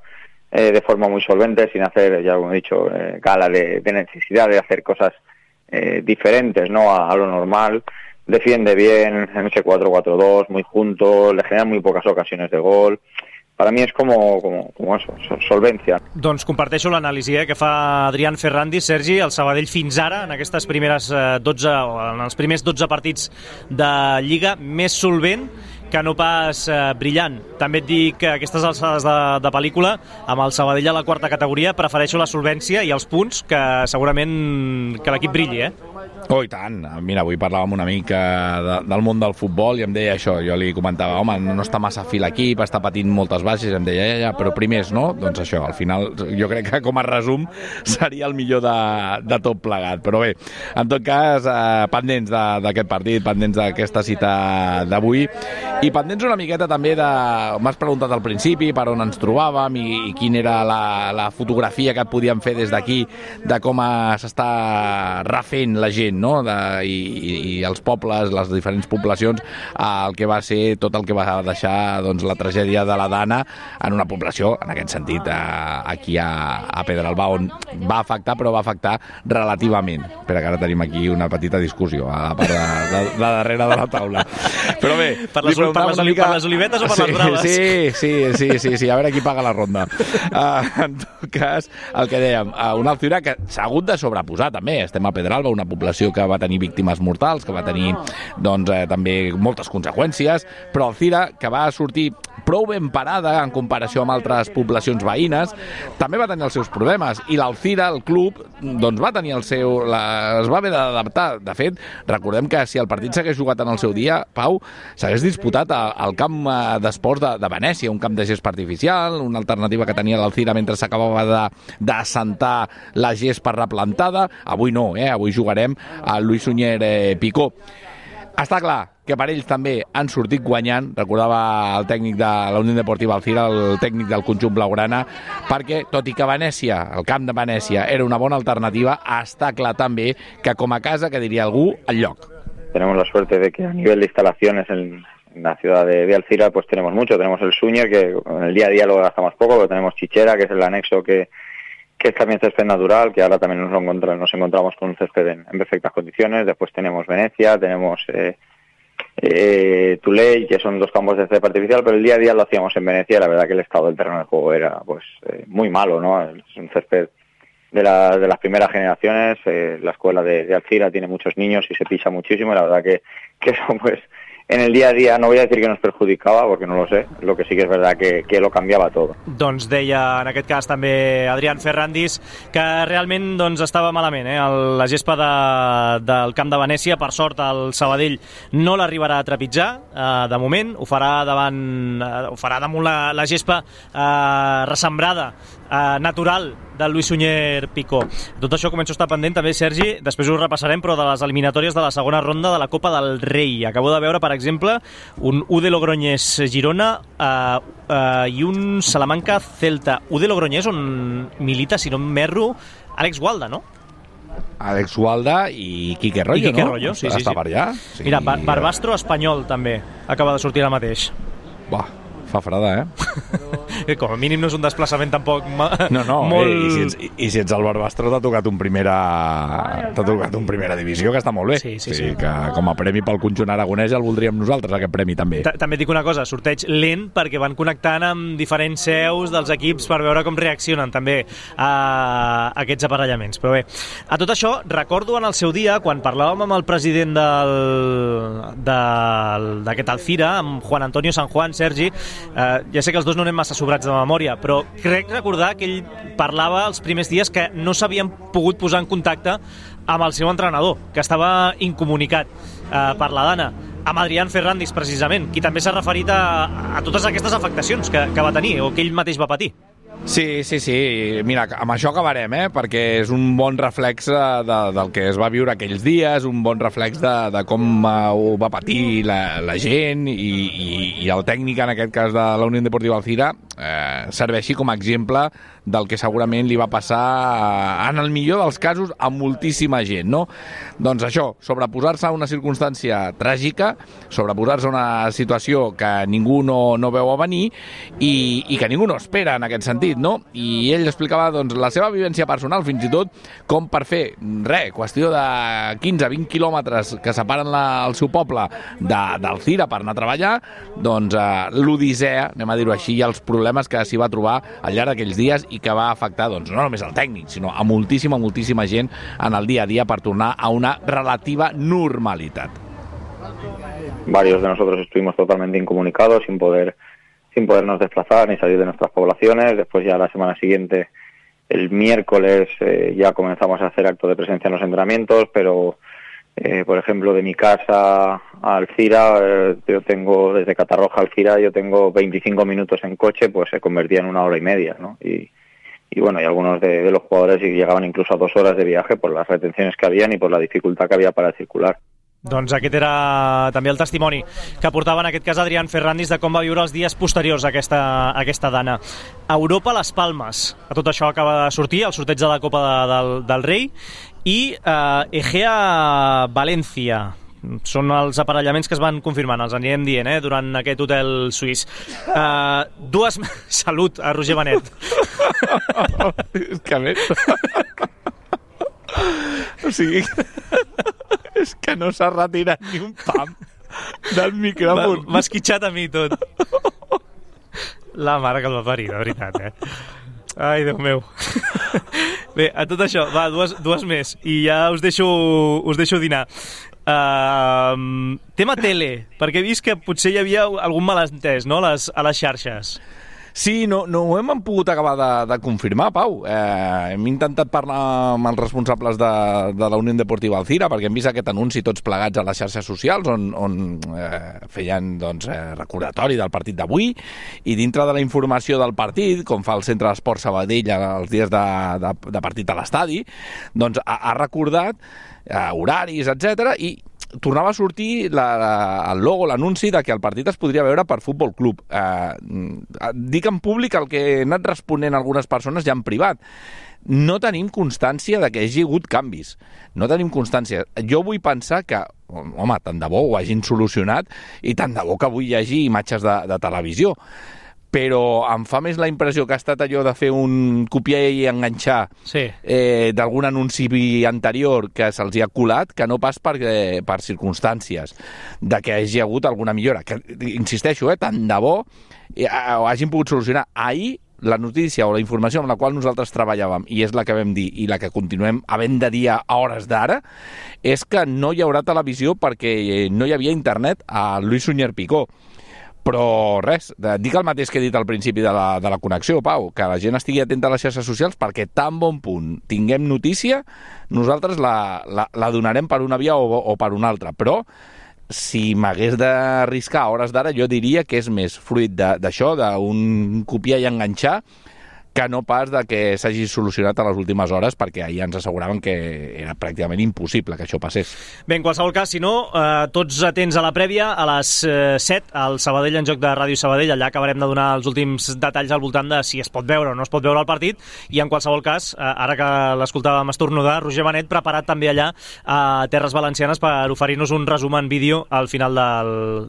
de forma muy solvente, sin hacer, ya como he dicho, gala de necesidad de hacer cosas diferentes, ¿no? A lo normal. Defiende bien en ese 4-4-2, muy junto, le generan muy pocas ocasiones de gol. Per a mi és com això, solvència. Doncs comparteixo l'anàlisi que fa Adrián Fernández. Sergi, el Sabadell fins ara, en aquestes primeres 12, en els primers 12 partits de Lliga, més solvent que no pas brillant. També et dic que aquestes alçades de pel·lícula, amb el Sabadell a la quarta categoria, prefereixo la solvència i els punts que segurament que l'equip brilli, Oh, i tant. Mira, avui parlàvem amb un amic del món del futbol i em deia això. Jo li comentava, home, no està massa fi l'equip, està patint moltes baixes, i em deia, ja, però primers, no? Doncs això, al final, jo crec que com a resum seria el millor de tot plegat. Però bé, en tot cas, pendents d'aquest partit, pendents d'aquesta cita d'avui, i pendents una miqueta també de... M'has preguntat al principi per on ens trobàvem i quina era la fotografia que et podíem fer des d'aquí de com s'està refent la gent, no? I els pobles, les diferents poblacions, el que va ser tot el que va deixar doncs, la tragèdia de la Dana en una població, en aquest sentit, aquí a Pedralba, on va afectar, però va afectar relativament. Espera, que ara tenim aquí una petita discussió a la part de darrere de la taula. Però bé, per les olivetes o per les braves? Sí, a veure qui paga la ronda. En tot cas, el que dèiem, un Alzira que s'ha hagut de sobreposar també. Estem a Pedralba, una població que va tenir víctimes mortals, que va tenir doncs, també moltes conseqüències, però Alzira, que va sortir prou ben parada en comparació amb altres poblacions veïnes, també va tenir els seus problemes, i l'Alzira, el club, doncs va tenir es va haver d'adaptar. De fet, recordem que si el partit s'hagués jugat en el seu dia, Pau, s'hagués disputat al camp d'esports de Venècia, un camp de gespa artificial, una alternativa que tenia l'Alzira mentre s'acabava d'assentar la gespa replantada. Avui no, avui jugarem al Luis Suñer Picó. Està clar que per ells també han sortit guanyant, recordava el tècnic de la Unió Deportiva Alzira, el tècnic del conjunt blaugrana, perquè tot i que Venècia, el camp de Venècia, era una bona alternativa, està clar també que com a casa, que diria algú, el lloc. Tenemos la suerte de que a nivel de instalaciones en la ciudad de Alzira pues tenemos mucho, tenemos el Suñer, que en el día a día lo gastamos poco, pero tenemos Chichera, que es el anexo que es también césped natural, que ahora también nos encontramos con un césped en perfectas condiciones. Después tenemos Venecia, tenemos Tuley, que son dos campos de césped artificial, pero el día a día lo hacíamos en Venecia y la verdad que el estado del terreno de juego era pues muy malo, ¿no? Es un césped de las primeras generaciones. La escuela de Alzira tiene muchos niños y se pisa muchísimo, y la verdad que eso pues en el día a día, no voy a decir que nos perjudicaba, porque no lo sé, lo que sí que es verdad que lo cambiava tot. Doncs deia en aquest cas també Adrián Ferrandis que realment doncs, estava malament, la gespa del camp de Venècia. Per sort el Sabadell no l'arribarà a trepitjar de moment, ho farà damunt la gespa ressembrada natural del Luis Suñer Picó. Tot això començo a estar pendent també, Sergi, després ho repassarem, però de les eliminatòries de la segona ronda de la Copa del Rei. Acabo de veure, per exemple, un UD Logroñés Girona i un Salamanca Celta. UD Logroñés on milita, si no m'erro, Àlex Gualda, no? Àlex Gualda i Quique Rollo, Quique Rollo, sí. Està per allà. Sí. Mira, Barbastro Espanyol també acaba de sortir ara mateix. Buah, fa freda, Com a mínim no és un desplaçament tampoc no, molt... I si ets el Barbastro t'ha tocat un primera divisió, que està molt bé. Sí. Que com a premi pel conjunt aragonès ja el voldríem nosaltres, aquest premi també. També dic una cosa, sorteig lent perquè van connectant amb diferents seus dels equips per veure com reaccionen també a aquests aparellaments. Però bé, a tot això recordo en el seu dia, quan parlàvem amb el president d'aquest Alcira, amb Juan Antonio San Juan, Sergi, ja sé que els dos no anem massa sobrats de memòria, però crec recordar que ell parlava els primers dies que no s'havien pogut posar en contacte amb el seu entrenador, que estava incomunicat per la Dana, amb Adrián Ferrandis precisament, qui també s'ha referit a totes aquestes afectacions que va tenir o que ell mateix va patir. Sí. Mira, amb això acabarem, perquè és un bon reflex del que es va viure aquells dies, un bon reflex de com ho va patir la gent i el tècnic, en aquest cas de la Unió Deportiva Alcira, serveixi com a exemple del que segurament li va passar, en el millor dels casos, a moltíssima gent, no? Doncs això, sobreposar-se a una circumstància tràgica, sobreposar-se a una situació que ningú no veu a venir i que ningú no espera en aquest sentit, no? I ell explicava doncs, la seva vivència personal, fins i tot com per fer, qüestió de 15-20 quilòmetres que separen el seu poble d'Alcira per anar a treballar, doncs l'odissea, anem a dir-ho així, i els problemes que s'hi va trobar al llarg d'aquells dies i que va afectar doncs, no només al tècnic, sinó a moltíssima gent en el dia a dia per tornar a una relativa normalitat. Varios de nosotros estuvimos totalmente incomunicados, sin podernos desplazar ni salir de nuestras poblaciones. Después ya la semana siguiente, el miércoles, ya comenzamos a hacer acto de presencia en los entrenamientos, pero por ejemplo, de mi casa a Alcira, yo tengo, desde Catarroja a Alcira, yo tengo 25 minutos en coche, pues se convertía en 1 hora y media, ¿no? Y bueno, y algunos de los jugadores llegaban incluso a 2 horas de viaje por las retenciones que habían y por la dificultad que había para circular. Doncs aquest era també el testimoni que portava en aquest cas Adrián Ferrandis de com va viure els dies posteriors a aquesta Dana. Europa Las Palmes, a tot això acaba de sortir el sorteig de la Copa del Rei, i Egea València. Són els aparellaments que es van confirmant, els anirem dient, durant aquest hotel suís. Salut a Roger Benet. És que a més... O sigui... És que no s'ha retirat ni un pam del micròfon. M'ha esquitxat a mi tot. La mare que el va parir, de veritat, Ai, Déu meu. Bé, a tot això, va, dues més, i ja us deixo dinar. Tema tele, perquè he vist que potser hi havia algun malentès, no?, a les xarxes. Sí, no ho hem pogut acabar de confirmar, Pau. Hem intentat parlar amb els responsables de la Unió Deportiva Alcira perquè hem vist aquest anunci tots plegats a les xarxes socials on feien recordatori del partit d'avui, i dintre de la informació del partit, com fa el Centre d'Esport Sabadell els dies de partit a l'estadi, doncs ha recordat horaris, etc. i tornava a sortir el logo, l'anunci de que el partit es podria veure per Futbol Club. Dic en públic el que he anat responent a algunes persones ja en privat. No tenim constància de que hi hagi hagut canvis. No tenim constància. Jo vull pensar que, home, tant de bo ho hagin solucionat i tant de bo que avui hi hagi imatges de televisió. Però em fa més la impressió que ha estat allò de fer un copiar i enganxar d'algun anunci anterior que se'ls ha colat, que no pas per circumstàncies de que hagi hagut alguna millora. Que, insisteixo, tant de bo ho hagin pogut solucionar. Ahir la notícia o la informació amb la qual nosaltres treballàvem, i és la que vam dir i la que continuem havent de dir a hores d'ara, és que no hi haurà televisió perquè no hi havia internet a Luis Sunyer Picó. Però res, dic el mateix que he dit al principi de la connexió, Pau, que la gent estigui atenta a les xarxes socials perquè tan bon punt tinguem notícia, nosaltres la donarem per una via o per una altra, però si m'hagués d'arriscar a hores d'ara, jo diria que és més fruit d'això, d'un copiar i enganxar, que no pas de que s'hagi solucionat a les últimes hores, perquè ahir ens asseguraven que era pràcticament impossible que això passés. Bé, en qualsevol cas, si no, tots atents a la prèvia, a les 7, al Sabadell en joc de Ràdio Sabadell, allà acabarem de donar els últims detalls al voltant de si es pot veure o no es pot veure el partit, i en qualsevol cas, ara que l'escoltàvem estornudar, Roger Benet preparat també allà a Terres Valencianes per oferir-nos un resum en vídeo al final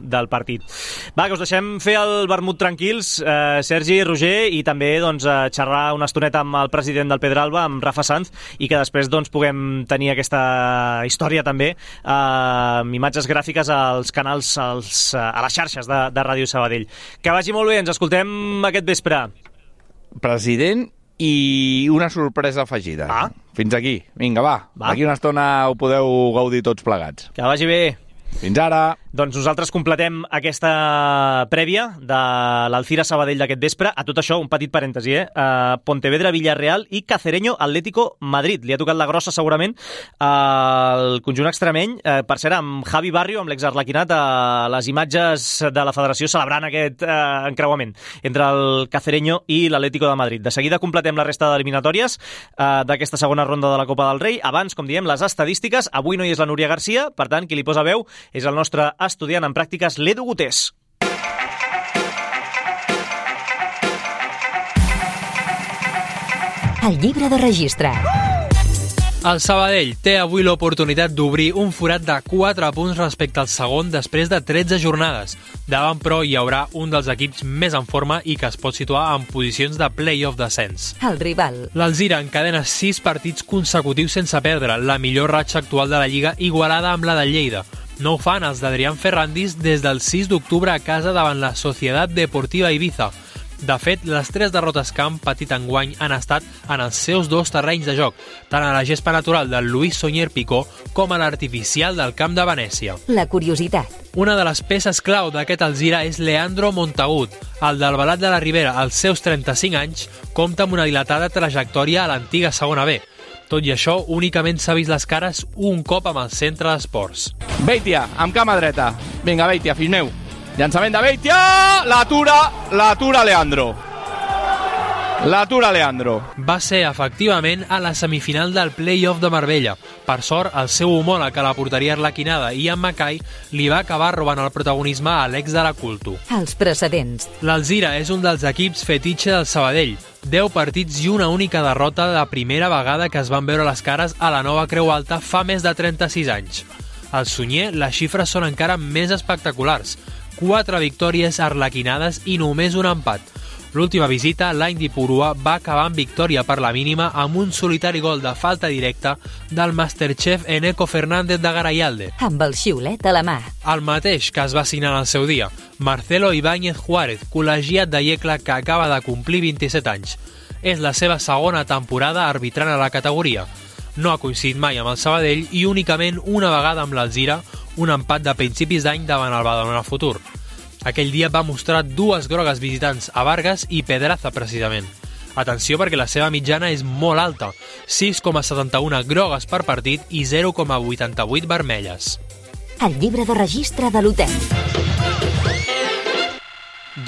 del partit. Va, que us deixem fer el vermut tranquils, Sergi, Roger, i també, doncs, xerrar una estoneta amb el president del Pedralba, amb Rafa Sanz, i que després doncs, puguem tenir aquesta història també amb imatges gràfiques als canals, a les xarxes de Ràdio Sabadell. Que vagi molt bé, ens escoltem aquest vespre. President i una sorpresa afegida. Fins aquí. Vinga, va. D'aquí una estona ho podeu gaudir tots plegats. Que vagi bé. Fins ara. Doncs nosaltres completem aquesta prèvia de l'Alcira Sabadell d'aquest vespre. A tot això, un petit parèntesi, Pontevedra, Villarreal i Cacereño, Atlético Madrid. Li ha tocat la grossa, segurament, el conjunt extremeny. Per cert, amb Javi Barrio, amb l'exarlequinat, a les imatges de la federació celebrant aquest encreuament entre el Cacereño i l'Atlético de Madrid. De seguida completem la resta d'eliminatòries d'aquesta segona ronda de la Copa del Rei. Abans, com diem, les estadístiques. Avui no hi és la Núria Garcia, per tant, qui li posa veu és el nostre estudiant en pràctiques, l'Edu Gutés. El llibre de registre. El Sabadell té avui l'oportunitat d'obrir un forat de 4 punts respecte al segon després de 13 jornades. Davant, però, hi haurà un dels equips més en forma i que es pot situar en posicions de play-off descens. El rival. L'Alzira encadena 6 partits consecutius sense perdre, la millor ratxa actual de la Lliga, igualada amb la de Lleida. No ho fan els d'Adrián Ferrandis des del 6 d'octubre a casa davant la Societat Deportiva Ibiza. De fet, les 3 derrotes que han patit enguany han estat en els seus 2 terrenys de joc, tant a la gespa natural del Luis Sunyer Picó com a l'artificial del camp de Venècia. La curiositat. Una de les peces clau d'aquest Alzira és Leandro Montagut. El del Balat de la Ribera, als seus 35 anys, compta amb una dilatada trajectòria a l'antiga segona B. Tot i això, únicament s'ha vist les cares un cop amb el centre d'esports. Beitia, amb cama dreta. Vinga, Beitia, fill meu. Llançament de Beitia! L'atura Leandro. L'atura Leandro. Va ser, efectivament, a la semifinal del play-off de Marbella. Per sort, el seu homòleg a la porteria arlequinada, Ian Mackay, li va acabar robant el protagonisme a l'ex de la Culto. Els precedents. L'Alzira és un dels equips fetitxe del Sabadell. 10 partits i una única derrota de la primera vegada que es van veure les cares a la nova Creu Alta fa més de 36 anys. Al Sunyer, les xifres són encara més espectaculars. 4 victòries arlequinades i només un empat. L'última visita, l'any d'Ipurua, va acabar amb victòria per la mínima amb un solitari gol de falta directa del Masterchef Eneco Fernández de Garayalde. Amb el xiulet a la mà. El mateix que es va signar al seu dia. Marcelo Ibáñez Juárez, col·legiat de Yecla que acaba de complir 27 anys. És la seva segona temporada arbitrant a la categoria. No ha coincidit mai amb el Sabadell i únicament una vegada amb l'Alzira, un empat de principis d'any davant el Badalona Futur. Aquell dia va mostrar 2 grogues visitants a Vargas i Pedraza, precisament. Atenció perquè la seva mitjana és molt alta, 6,71 grogues per partit i 0,88 vermelles. El llibre de registre de l'hotel.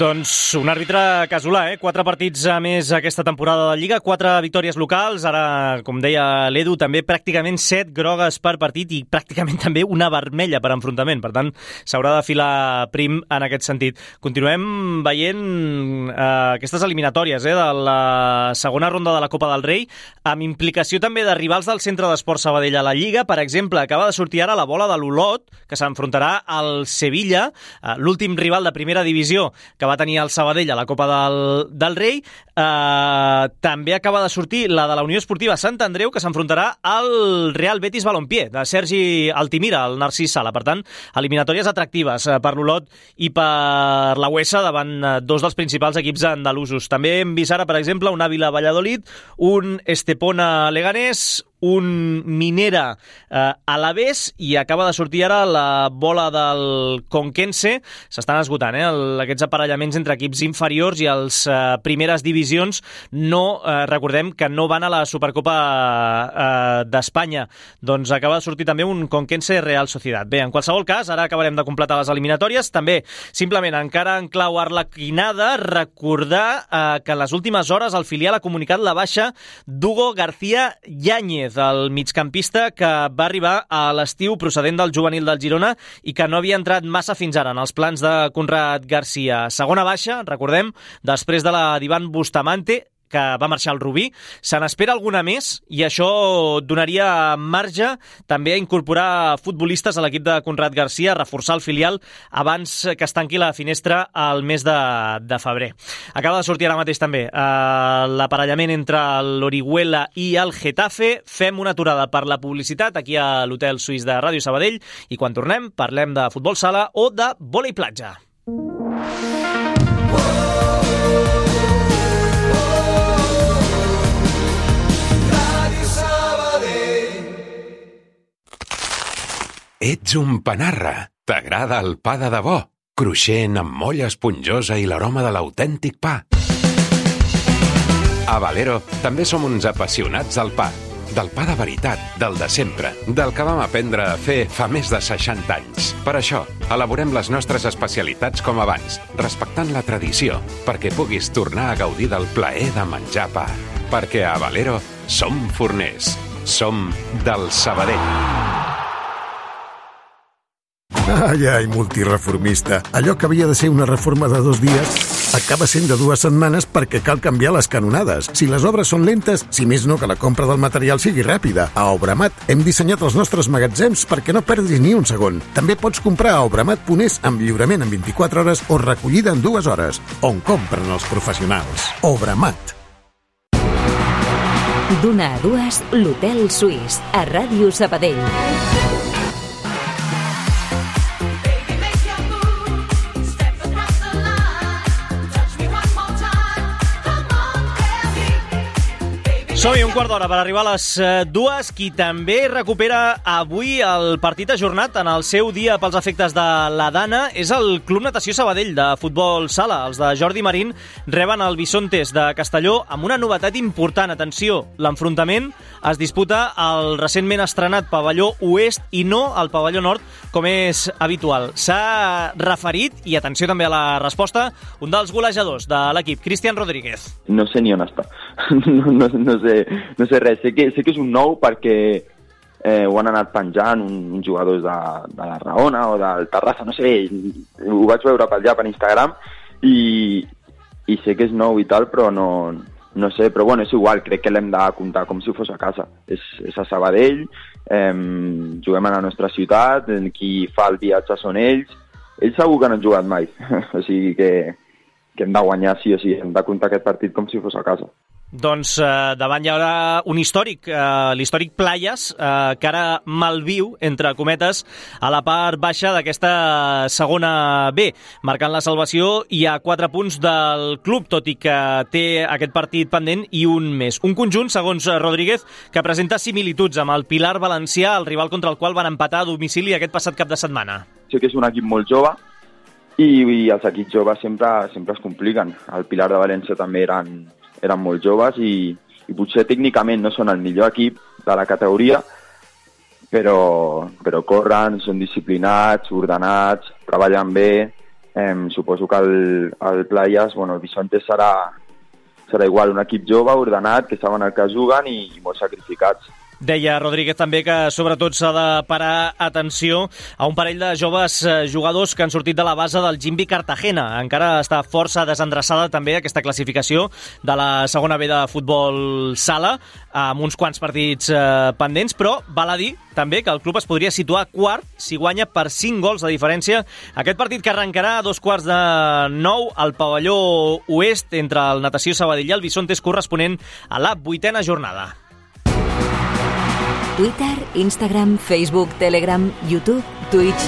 Doncs un àrbitre casolà, 4 partits a més aquesta temporada de Lliga, 4 victòries locals, ara, com deia l'Edu, també pràcticament 7 grogues per partit i pràcticament també una vermella per enfrontament. Per tant, s'haurà de filar prim en aquest sentit. Continuem veient aquestes eliminatòries de la segona ronda de la Copa del Rei, amb implicació també de rivals del Centre d'Esport Sabadell a la Lliga. Per exemple, acaba de sortir ara la bola de l'Olot, que s'enfrontarà al Sevilla, l'últim rival de primera divisió. que va tenir el Sabadell a la Copa del Rei. També acaba de sortir la de la Unió Esportiva Sant Andreu, que s'enfrontarà al Real Betis Balompié, de Sergi Altimira, el Narcís Sala. Per tant, eliminatòries atractives per l'Olot i per la UEFA davant dos dels principals equips andalusos. També hem vist ara, per exemple, un Ávila Valladolid, un Estepona Leganés, un Minera Alavés, i acaba de sortir ara la bola del Conquense. S'estan esgotant aquests aparellaments entre equips inferiors i els primeres divisions. Recordem que no van a la Supercopa d'Espanya. Doncs acaba de sortir també un Conquense Real Sociedad. Bé, en qualsevol cas, ara acabarem de completar les eliminatòries. També, simplement, encara en clau arlequinada, recordar que en les últimes hores el filial ha comunicat la baixa d'Hugo García Yáñez, el migcampista que va arribar a l'estiu procedent del juvenil del Girona i que no havia entrat massa fins ara en els plans de Conrad García. Segona baixa, recordem, després de la d'Ivan Bustamante, que va marxar al Rubí. Se n'espera alguna més i això donaria marge també a incorporar futbolistes a l'equip de Conrad García, a reforçar el filial abans que es tanqui la finestra al mes de febrer. Acaba de sortir ara mateix també l'aparellament entre l'Orihuela i el Getafe. Fem una aturada per la publicitat aquí a l'Hotel Suís de Ràdio Sabadell i quan tornem parlem de futbol sala o de vòlei platja. Ets un panarra. T'agrada el pa de debò, cruixent amb molla esponjosa i l'aroma de l'autèntic pa. A Valero també som uns apassionats del pa de veritat, del de sempre, del que vam aprendre a fer fa més de 60 anys. Per això, elaborem les nostres especialitats com abans, respectant la tradició, perquè puguis tornar a gaudir del plaer de menjar pa. Perquè a Valero som forners, som del Sabadell. Ai, multireformista. Allò que havia de ser una reforma de 2 dies acaba sent de 2 setmanes perquè cal canviar les canonades. Si les obres són lentes, si més no que la compra del material sigui ràpida. A Obramat hem dissenyat els nostres magatzems perquè no perdis ni un segon. També pots comprar a obramat.es amb lliurament en 24 hores o recollida en 2 hores, on compren els professionals. Obramat. D'una a 2, l'Hotel Suís, a Ràdio Sabadell. Som-hi, un quart d'hora per arribar a les 2. Qui també recupera avui el partit ajornat en el seu dia pels efectes de la Dana és el Club Natació Sabadell de futbol sala. Els de Jordi Marín reben el Bisontes de Castelló amb una novetat important. Atenció, l'enfrontament es disputa al recentment estrenat pavelló oest i no al pavelló nord, com és habitual. S'ha referit, i atenció també a la resposta, un dels golejadors de l'equip, Cristian Rodríguez. No sé ni on està. No sé res. Sé que és un nou perquè ho han anat penjant uns jugadors de la Raona o del Terrassa, no sé, ho vaig veure per allà per Instagram i sé que és nou i tal, però no sé, però bueno, és igual, crec que l'hem de comptar com si fos a casa. És a Sabadell, juguem a la nostra ciutat, qui fa el viatge són ells segur que no han jugat mai, o sigui que hem de guanyar sí o sí, hem de comptar aquest partit com si fos a casa. Doncs davant hi haurà un històric, l'històric Playas, que ara malviu, entre cometes, a la part baixa d'aquesta segona B, marcant la salvació i a 4 punts del club, tot i que té aquest partit pendent i un més. Un conjunt, segons Rodríguez, que presenta similituds amb el Pilar Valencià, el rival contra el qual van empatar a domicili aquest passat cap de setmana. Sé que és un equip molt jove i els equips joves sempre es compliquen. El Pilar de València també eren molt joves i potser tècnicament no són el millor equip de la categoria, però corren, són disciplinats, ordenats, treballen bé. Suposo que el Playas, el Bisontes serà igual, un equip jove, ordenat, que saben el que juguen i molt sacrificats. Deia Rodríguez també que sobretot s'ha de parar atenció a un parell de joves jugadors que han sortit de la base del Jimbi Cartagena. Encara està força desendreçada també aquesta classificació de la segona B de futbol sala, amb uns quants partits pendents, però val a dir també que el club es podria situar quart si guanya per 5 gols de diferència aquest partit que arrencarà a 8:45 al pavelló oest entre el Natació Sabadell i el Bisontes, corresponent a la 8ª jornada. Twitter, Instagram, Facebook, Telegram, YouTube, Twitch.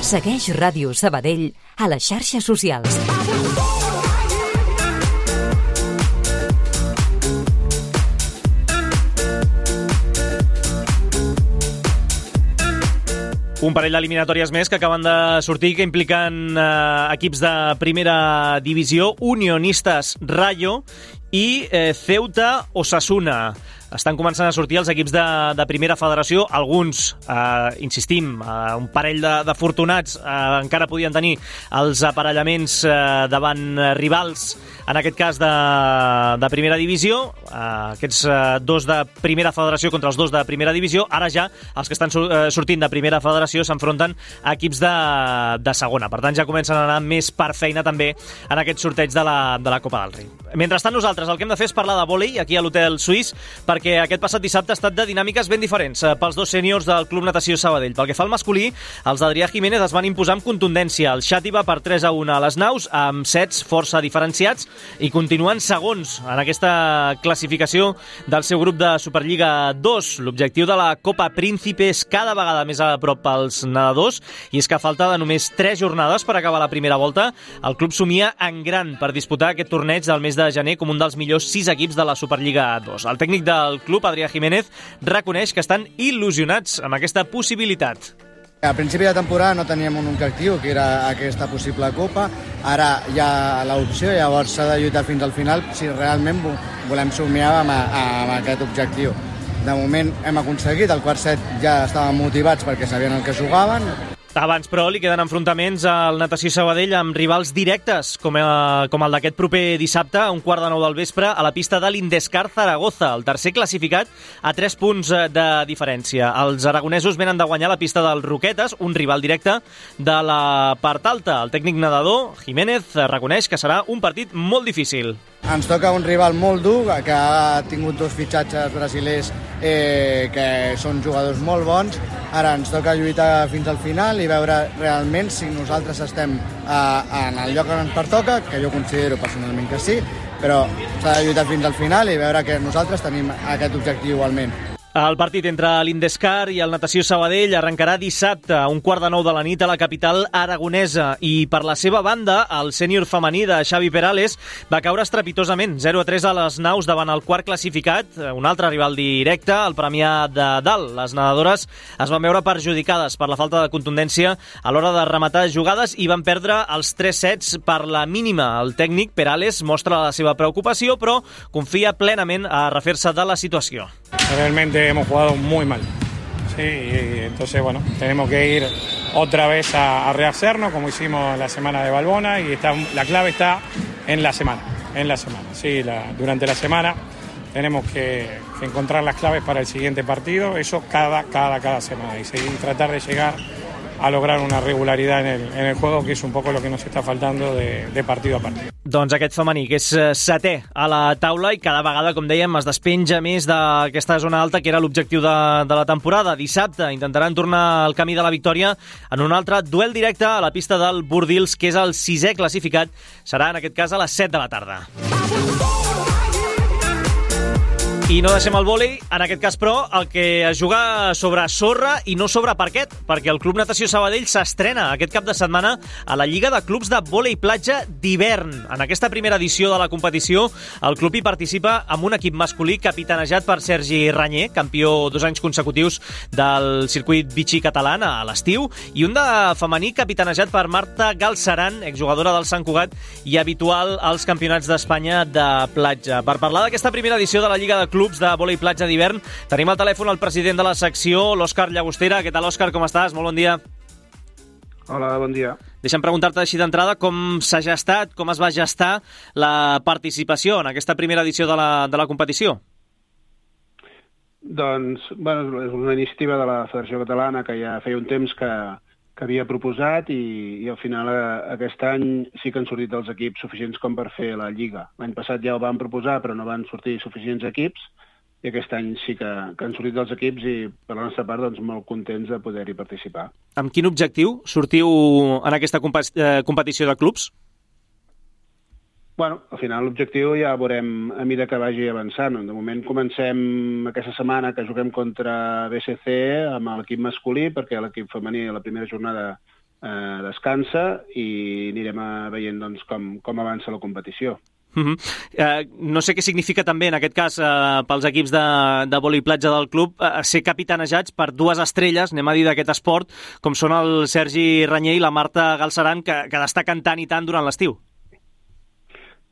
Segueix Ràdio Sabadell a les xarxes socials. Un parell d'eliminatòries més que acaben de sortir, que impliquen equips de primera divisió, Unionistas Rayo i Ceuta Osasuna. Estan començant a sortir els equips de primera federació. Alguns, insistim, un parell d'afortunats encara podien tenir els aparellaments davant rivals, en aquest cas de primera divisió. Aquests dos de primera federació contra els dos de primera divisió. Ara ja els que estan sortint de primera federació s'enfronten a equips de segona. Per tant, ja comencen a anar més per feina també en aquest sorteig de la Copa del Rei. Mentrestant, nosaltres el que hem de fer és parlar de vòlei aquí a l'Hotel Suís, perquè aquest passat dissabte ha estat de dinàmiques ben diferents pels dos sèniors del Club Natació Sabadell. Pel que fa al masculí, els d'Adrià Jiménez es van imposar amb contundència. El Xàtiva per 3-1 a les naus, amb sets força diferenciats, i continuen segons en aquesta classificació del seu grup de Superliga 2. L'objectiu de la Copa Príncipe és cada vegada més a prop pels nedadors, i és que a falta de només 3 jornades per acabar la primera volta, el club somia en gran per disputar aquest torneig del mes de gener com un dels millors 6 equips de la Superliga 2. El tècnic del club, Adrià Jiménez, reconeix que estan il·lusionats amb aquesta possibilitat. A principi de temporada no teníem un objectiu, que era aquesta possible Copa. Ara hi ha l'opció, llavors s'ha de lluitar fins al final si realment volem somiar amb aquest objectiu. De moment hem aconseguit, el quart set ja estaven motivats perquè sabien el que jugaven. Abans, però, li queden enfrontaments al Natació Sabadell amb rivals directes, com el d'aquest proper dissabte, a 8:45 del vespre, a la pista de l'Indescar Zaragoza, el tercer classificat a 3 punts de diferència. Els aragonesos venen de guanyar la pista dels Roquetes, un rival directe de la part alta. El tècnic nedador, Jiménez, reconeix que serà un partit molt difícil. Ens toca un rival molt dur, que ha tingut 2 fitxatges brasilers que són jugadors molt bons. Ara ens toca lluitar fins al final i veure realment si nosaltres estem en el lloc on ens pertoca, que jo considero personalment que sí, però s'ha de lluitar fins al final i veure que nosaltres tenim aquest objectiu igualment. El partit entre l'Indescar i el Natació Sabadell arrencarà dissabte a 8:45 de la nit a la capital aragonesa, i per la seva banda el sènior femení de Xavi Perales va caure estrepitosament 0-3 a les naus davant el quart classificat, un altre rival directe, el Premià de Dalt. Les nedadores es van veure perjudicades per la falta de contundència a l'hora de rematar jugades i van perdre els 3 sets per la mínima. El tècnic Perales mostra la seva preocupació, però confia plenament a refer-se de la situació. Realmente hemos jugado muy mal, sí, y entonces bueno, tenemos que ir otra vez a rehacernos como hicimos la semana de Balbona, y la clave está en la semana, sí, durante la semana tenemos que encontrar las claves para el siguiente partido, eso cada semana, y tratar de llegar a lograr una regularidad en el juego, que es un poco lo que nos está faltando de partido a partido. Doncs aquest femení, que és setè a la taula i cada vegada, com dèiem, es despenja més d'aquesta zona alta, que era l'objectiu de la temporada. Dissabte intentaran tornar al camí de la victòria en un altre duel directe a la pista del Bordils, que és el 6è classificat. Serà, en aquest cas, a les 7 de la tarda. I no deixem el vòlei, en aquest cas, però, el que es juga sobre sorra i no sobre parquet, perquè el Club Natació Sabadell s'estrena aquest cap de setmana a la Lliga de Clubs de Vòlei Platja d'hivern. En aquesta primera edició de la competició, el club hi participa amb un equip masculí capitanejat per Sergi Ranyer, campió 2 anys consecutius del circuit Vichy català a l'estiu, i un de femení capitanejat per Marta Galceran, exjugadora del Sant Cugat i habitual als campionats d'Espanya de platja. Per parlar d'aquesta primera edició de la Lliga de Clubs de Vòlei Platja d'hivern, tenim al telèfon el president de la secció, l'Òscar Llagostera. Què tal, Òscar? Com estàs? Molt bon dia. Hola, bon dia. Deixa'm preguntar-te així d'entrada com s'ha gestat, com es va gestar la participació en aquesta primera edició de la competició. Doncs, bueno, és una iniciativa de la Federació Catalana que ja feia un temps que havia proposat i al final aquest any sí que han sortit els equips suficients com per fer la Lliga. L'any passat ja ho van proposar, però no van sortir suficients equips, i aquest any sí que han sortit els equips i per la nostra part doncs, molt contents de poder-hi participar. Amb quin objectiu sortiu en aquesta competició de clubs? Bueno, al final l'objectiu ja veurem a mesura que vagi avançant. De moment comencem aquesta setmana que juguem contra BCC amb l'equip masculí, perquè l'equip femení a la primera jornada descansa i anirem veient doncs, com avança la competició. No sé què significa també, en aquest cas, pels equips de vòlei platja del club, ser capitanejats per dues estrelles, anem a dir, d'aquest esport, com són el Sergi Ranyer i la Marta Galceran, que destaquen tant i tant durant l'estiu.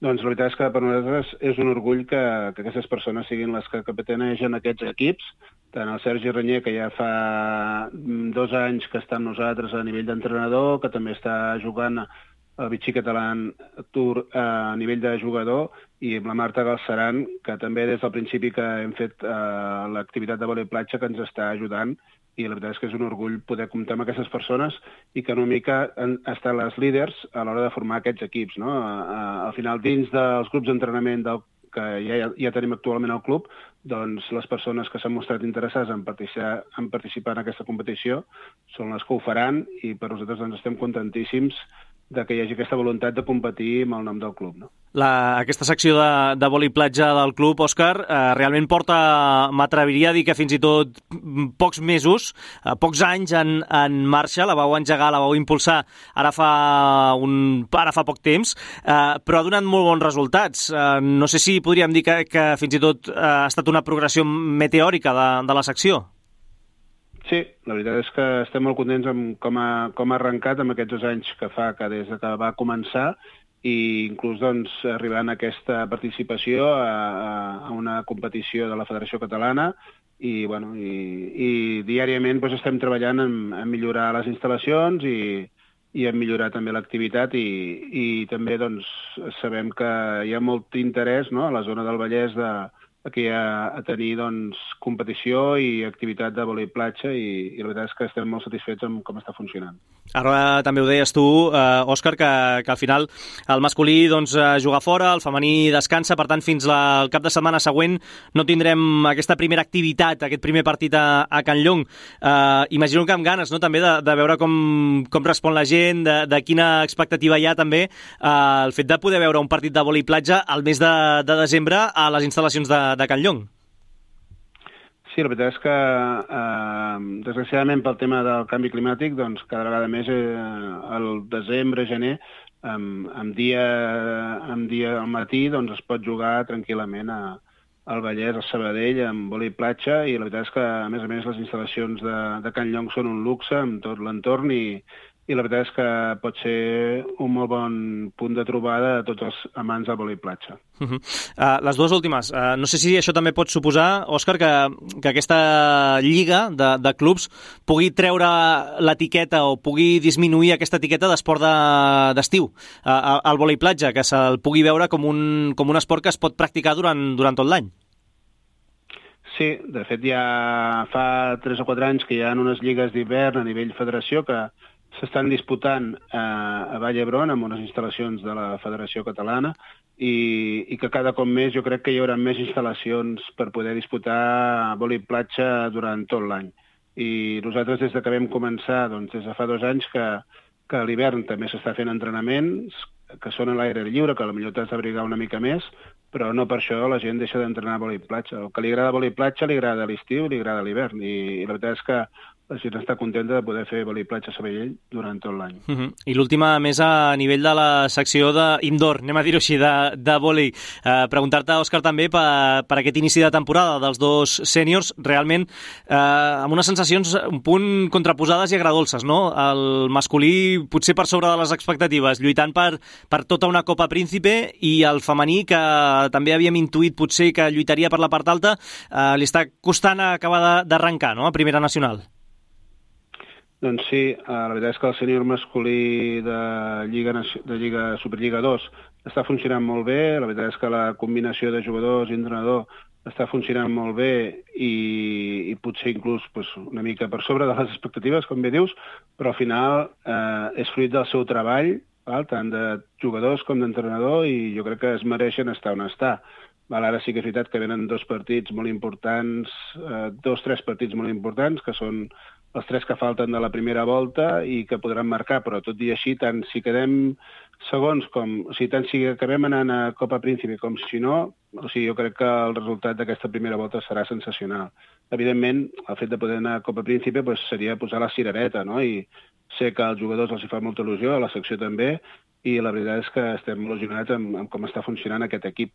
Doncs la veritat és que per nosaltres és un orgull que aquestes persones siguin les que capitanegen aquests equips, tant el Sergi Ranyer, que ja fa 2 anys que està amb nosaltres a nivell d'entrenador, que també està jugant el Vichy Català Tour a nivell de jugador, i amb la Marta Galceran, que també des del principi que hem fet l'activitat de vòlei platja que ens està ajudant, i la veritat és que és un orgull poder comptar amb aquestes persones i que una mica han estat les líders a l'hora de formar aquests equips. No? Al final, dins dels grups d'entrenament que ja tenim actualment al club, doncs les persones que s'han mostrat interessades en participar en aquesta competició són les que ho faran, i per nosaltres doncs, estem contentíssims que hi hagi aquesta voluntat de competir amb el nom del club. No? Aquesta secció de vòlei platja del club, Òscar, realment porta, m'atreviria a dir que fins i tot pocs mesos, pocs anys en marxa, la vau engegar, la vau impulsar ara fa poc temps, però ha donat molt bons resultats. No sé si podríem dir que fins i tot ha estat una progressió meteòrica de la secció. Sí, la veritat és que estem molt contents amb com ha arrencat amb aquests 2 anys que fa que des que va començar, i inclús doncs, arribant a aquesta participació a una competició de la Federació Catalana, i diàriament doncs, estem treballant en millorar les instal·lacions i en millorar també l'activitat, i també doncs, sabem que hi ha molt interès, no?, a la zona del Vallès aquí a tenir doncs, competició i activitat de vòlei platja, i la veritat és que estem molt satisfets amb com està funcionant. Ara també ho deies tu, Òscar, que al final el masculí doncs, juga fora, el femení descansa, per tant fins al cap de setmana següent no tindrem aquesta primera activitat, aquest primer partit a Can Llong. Imagino que amb ganes, no?, també de veure com respon la gent, de quina expectativa hi ha també el fet de poder veure un partit de vòlei platja al mes de desembre a les instal·lacions de Can Llong. Sí, la veritat és que, desgraciadament, pel tema del canvi climàtic, doncs, cada vegada més al desembre, gener, amb dia al matí, doncs, es pot jugar tranquil·lament al Vallès, al Sabadell, amb vòlei platja, i la veritat és que, a més, les instal·lacions de Can Llong són un luxe amb tot l'entorn, i la veritat és que pot ser un molt bon punt de trobada a tots els amants del vòlei platja. Les dues últimes. No sé si això també pot suposar, Òscar, que aquesta lliga de clubs pugui treure l'etiqueta o pugui disminuir aquesta etiqueta d'esport d'estiu al vòlei platja, que se'l pugui veure com un esport que es pot practicar durant tot l'any. Sí, de fet ja fa 3 o 4 anys que hi ha unes lligues d'hivern a nivell federació que s'estan disputant a Vall d'Hebron amb unes instal·lacions de la Federació Catalana, i que cada cop més jo crec que hi haurà més instal·lacions per poder disputar vòlei platja durant tot l'any. I nosaltres des que vam començar, doncs des de fa 2 anys que a l'hivern també s'està fent entrenaments que són a l'aire lliure, que potser t'has d'abrigar una mica més, però no per això la gent deixa d'entrenar vòlei platja. El que li agrada vòlei platja li agrada l'estiu, li agrada l'hivern, i la veritat és que la gent està contenta de poder fer vòlei platja a Sabadell durant tot l'any. I l'última, més a nivell de la secció d'indoor, anem a dir-ho així, de vòlei. Preguntar-te, Òscar, també per aquest inici de temporada dels 2 sèniors, realment amb unes sensacions un punt contraposades i agradolces, no? El masculí potser per sobre de les expectatives, lluitant per tota una Copa Príncipe, i el femení, que també havíem intuït potser que lluitaria per la part alta, li està costant acabar d'arrencar, no?, a Primera Nacional. Doncs sí, la veritat és que el sènior masculí de Superliga 2 està funcionant molt bé. La veritat és que la combinació de jugadors i entrenador està funcionant molt bé, i i potser inclús una mica per sobre de les expectatives, com bé dius, però al final és fruit del seu treball, tant de jugadors com d'entrenador, i jo crec que es mereixen estar on està. Ara sí que és veritat que venen 2 partits molt importants, 2-3 partits molt importants, que són els 3 que falten de la primera volta i que podran marcar, però tot i així, tant si quedem segons tant si acabem anant a Copa Príncipe com si no, jo crec que el resultat d'aquesta primera volta serà sensacional. Evidentment, el fet de poder anar a Copa Príncipe seria posar la cirereta, no? I sé que als jugadors els hi fa molta il·lusió, a la secció també, i la veritat és que estem molt il·lusionats amb com està funcionant aquest equip.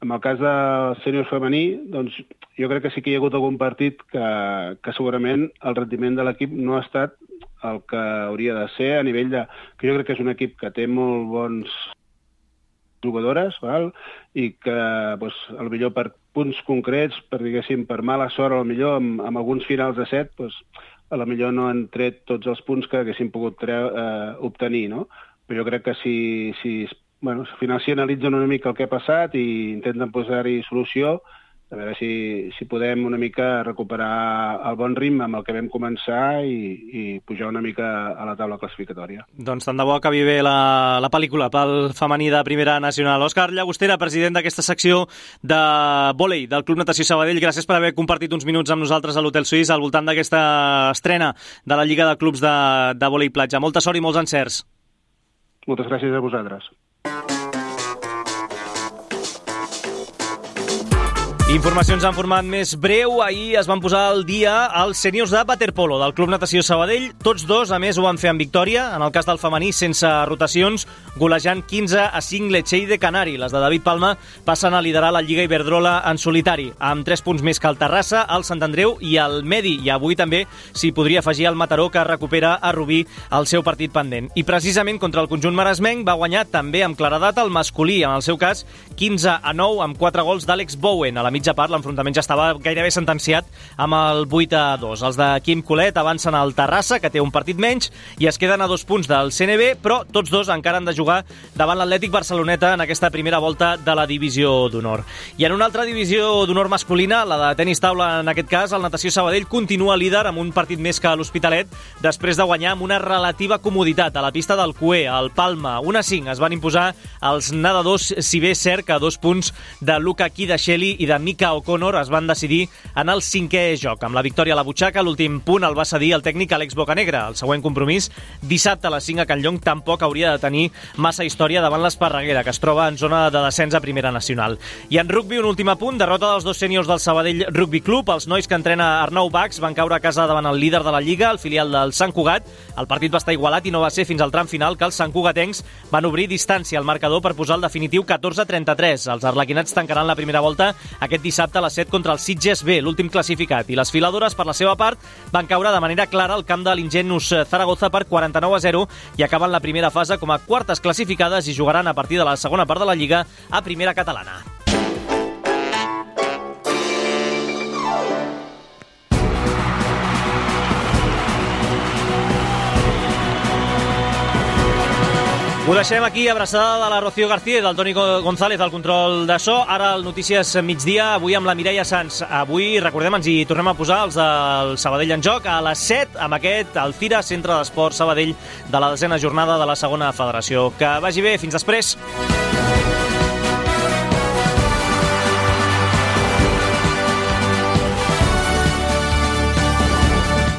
En el cas del sènior femení, doncs jo crec que sí que hi ha hagut algun partit que segurament el rendiment de l'equip no ha estat el que hauria de ser a nivell de... que jo crec que és un equip que té molt bons jugadores, i que potser per punts concrets, per mala sort, potser amb alguns finals de set, potser no han tret tots els punts que haguessin pogut obtenir, no? Però jo crec que si al final s'hi analitzen una mica el que ha passat i intenten posar-hi solució, a veure si podem una mica recuperar el bon ritme amb el que vam començar i pujar una mica a la taula classificatòria. Doncs tant de bo acabi bé la pel·lícula pel femení de Primera Nacional. Òscar Llagostera, president d'aquesta secció de vòlei del Club Natació Sabadell, gràcies per haver compartit uns minuts amb nosaltres a l'Hotel Suís al voltant d'aquesta estrena de la Lliga de Clubs de vòlei platja. Molta sort i molts encerts. Moltes gràcies a vosaltres. Informacions en format més breu. Ahir es van posar al dia els sèniors de waterpolo del Club Natació Sabadell. Tots dos, a més, ho van fer amb victòria. En el cas del femení, sense rotacions, golejant 15-5 Lecce de Canari. Les de David Palma passen a liderar la Lliga Iberdrola en solitari, amb 3 punts més que el Terrassa, el Sant Andreu i el Medi. I avui també s'hi podria afegir el Mataró, que recupera a Rubí el seu partit pendent. I precisament contra el conjunt maresmenc va guanyar també amb claredat el masculí, en el seu cas 15-9 amb 4 gols d'Àlex Bowen. A la mitja part, l'enfrontament ja estava gairebé sentenciat amb el 8-2. Els de Quim Colet avancen al Terrassa, que té un partit menys, i es queden a 2 punts del CNB, però tots dos encara han de jugar davant l'Atlètic Barceloneta en aquesta primera volta de la Divisió d'Honor. I en una altra Divisió d'Honor masculina, la de tenis taula en aquest cas, el Natació Sabadell continua líder amb un partit més que l'Hospitalet, després de guanyar amb una relativa comoditat a la pista del Cué, al Palma. 1-5 es van imposar els nedadors, si bé és cert que 2 punts de Luca Kidasheli i de Mika O'Connor es van decidir en el 5è joc. Amb la victòria a la butxaca, l'últim punt el va cedir el tècnic Àlex Bocanegra. El següent compromís, dissabte a les 5 a Can Llong, tampoc hauria de tenir massa història davant l'Esparreguera, que es troba en zona de descens a Primera Nacional. I en rugbi, un últim apunt, derrota dels 2 sèniors del Sabadell Rugby Club. Els nois que entrena Arnau Bax van caure a casa davant el líder de la Lliga, el filial del Sant Cugat. El partit va estar igualat i no va ser fins al tram final que els santcugatencs van obrir distància al marcador per posar el definitiu 14-33. Els arlequinats tancaran la primera volta aquest dissabte a les 7 contra el Sitges B, l'últim classificat. I les filadores, per la seva part, van caure de manera clara al camp de l'Ingenus Zaragoza per 49-0 i acaben la primera fase com a quartes classificades i jugaran a partir de la segona part de la Lliga a Primera Catalana. Ho deixem aquí, abraçada de la Rocío García i del Toni González al control de so. Ara el Notícies Migdia, avui amb la Mireia Sans. Avui, recordem, ens hi tornem a posar els del Sabadell en joc a les 7 amb aquest Alcira, Centre d'Esport Sabadell, de la 10ª jornada de la segona federació. Que vagi bé, fins després.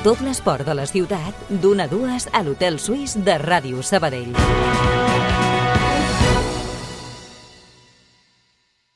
Tot l'esport de la ciutat, d'1 a 2 a l'Hotel Suís de Ràdio Sabadell.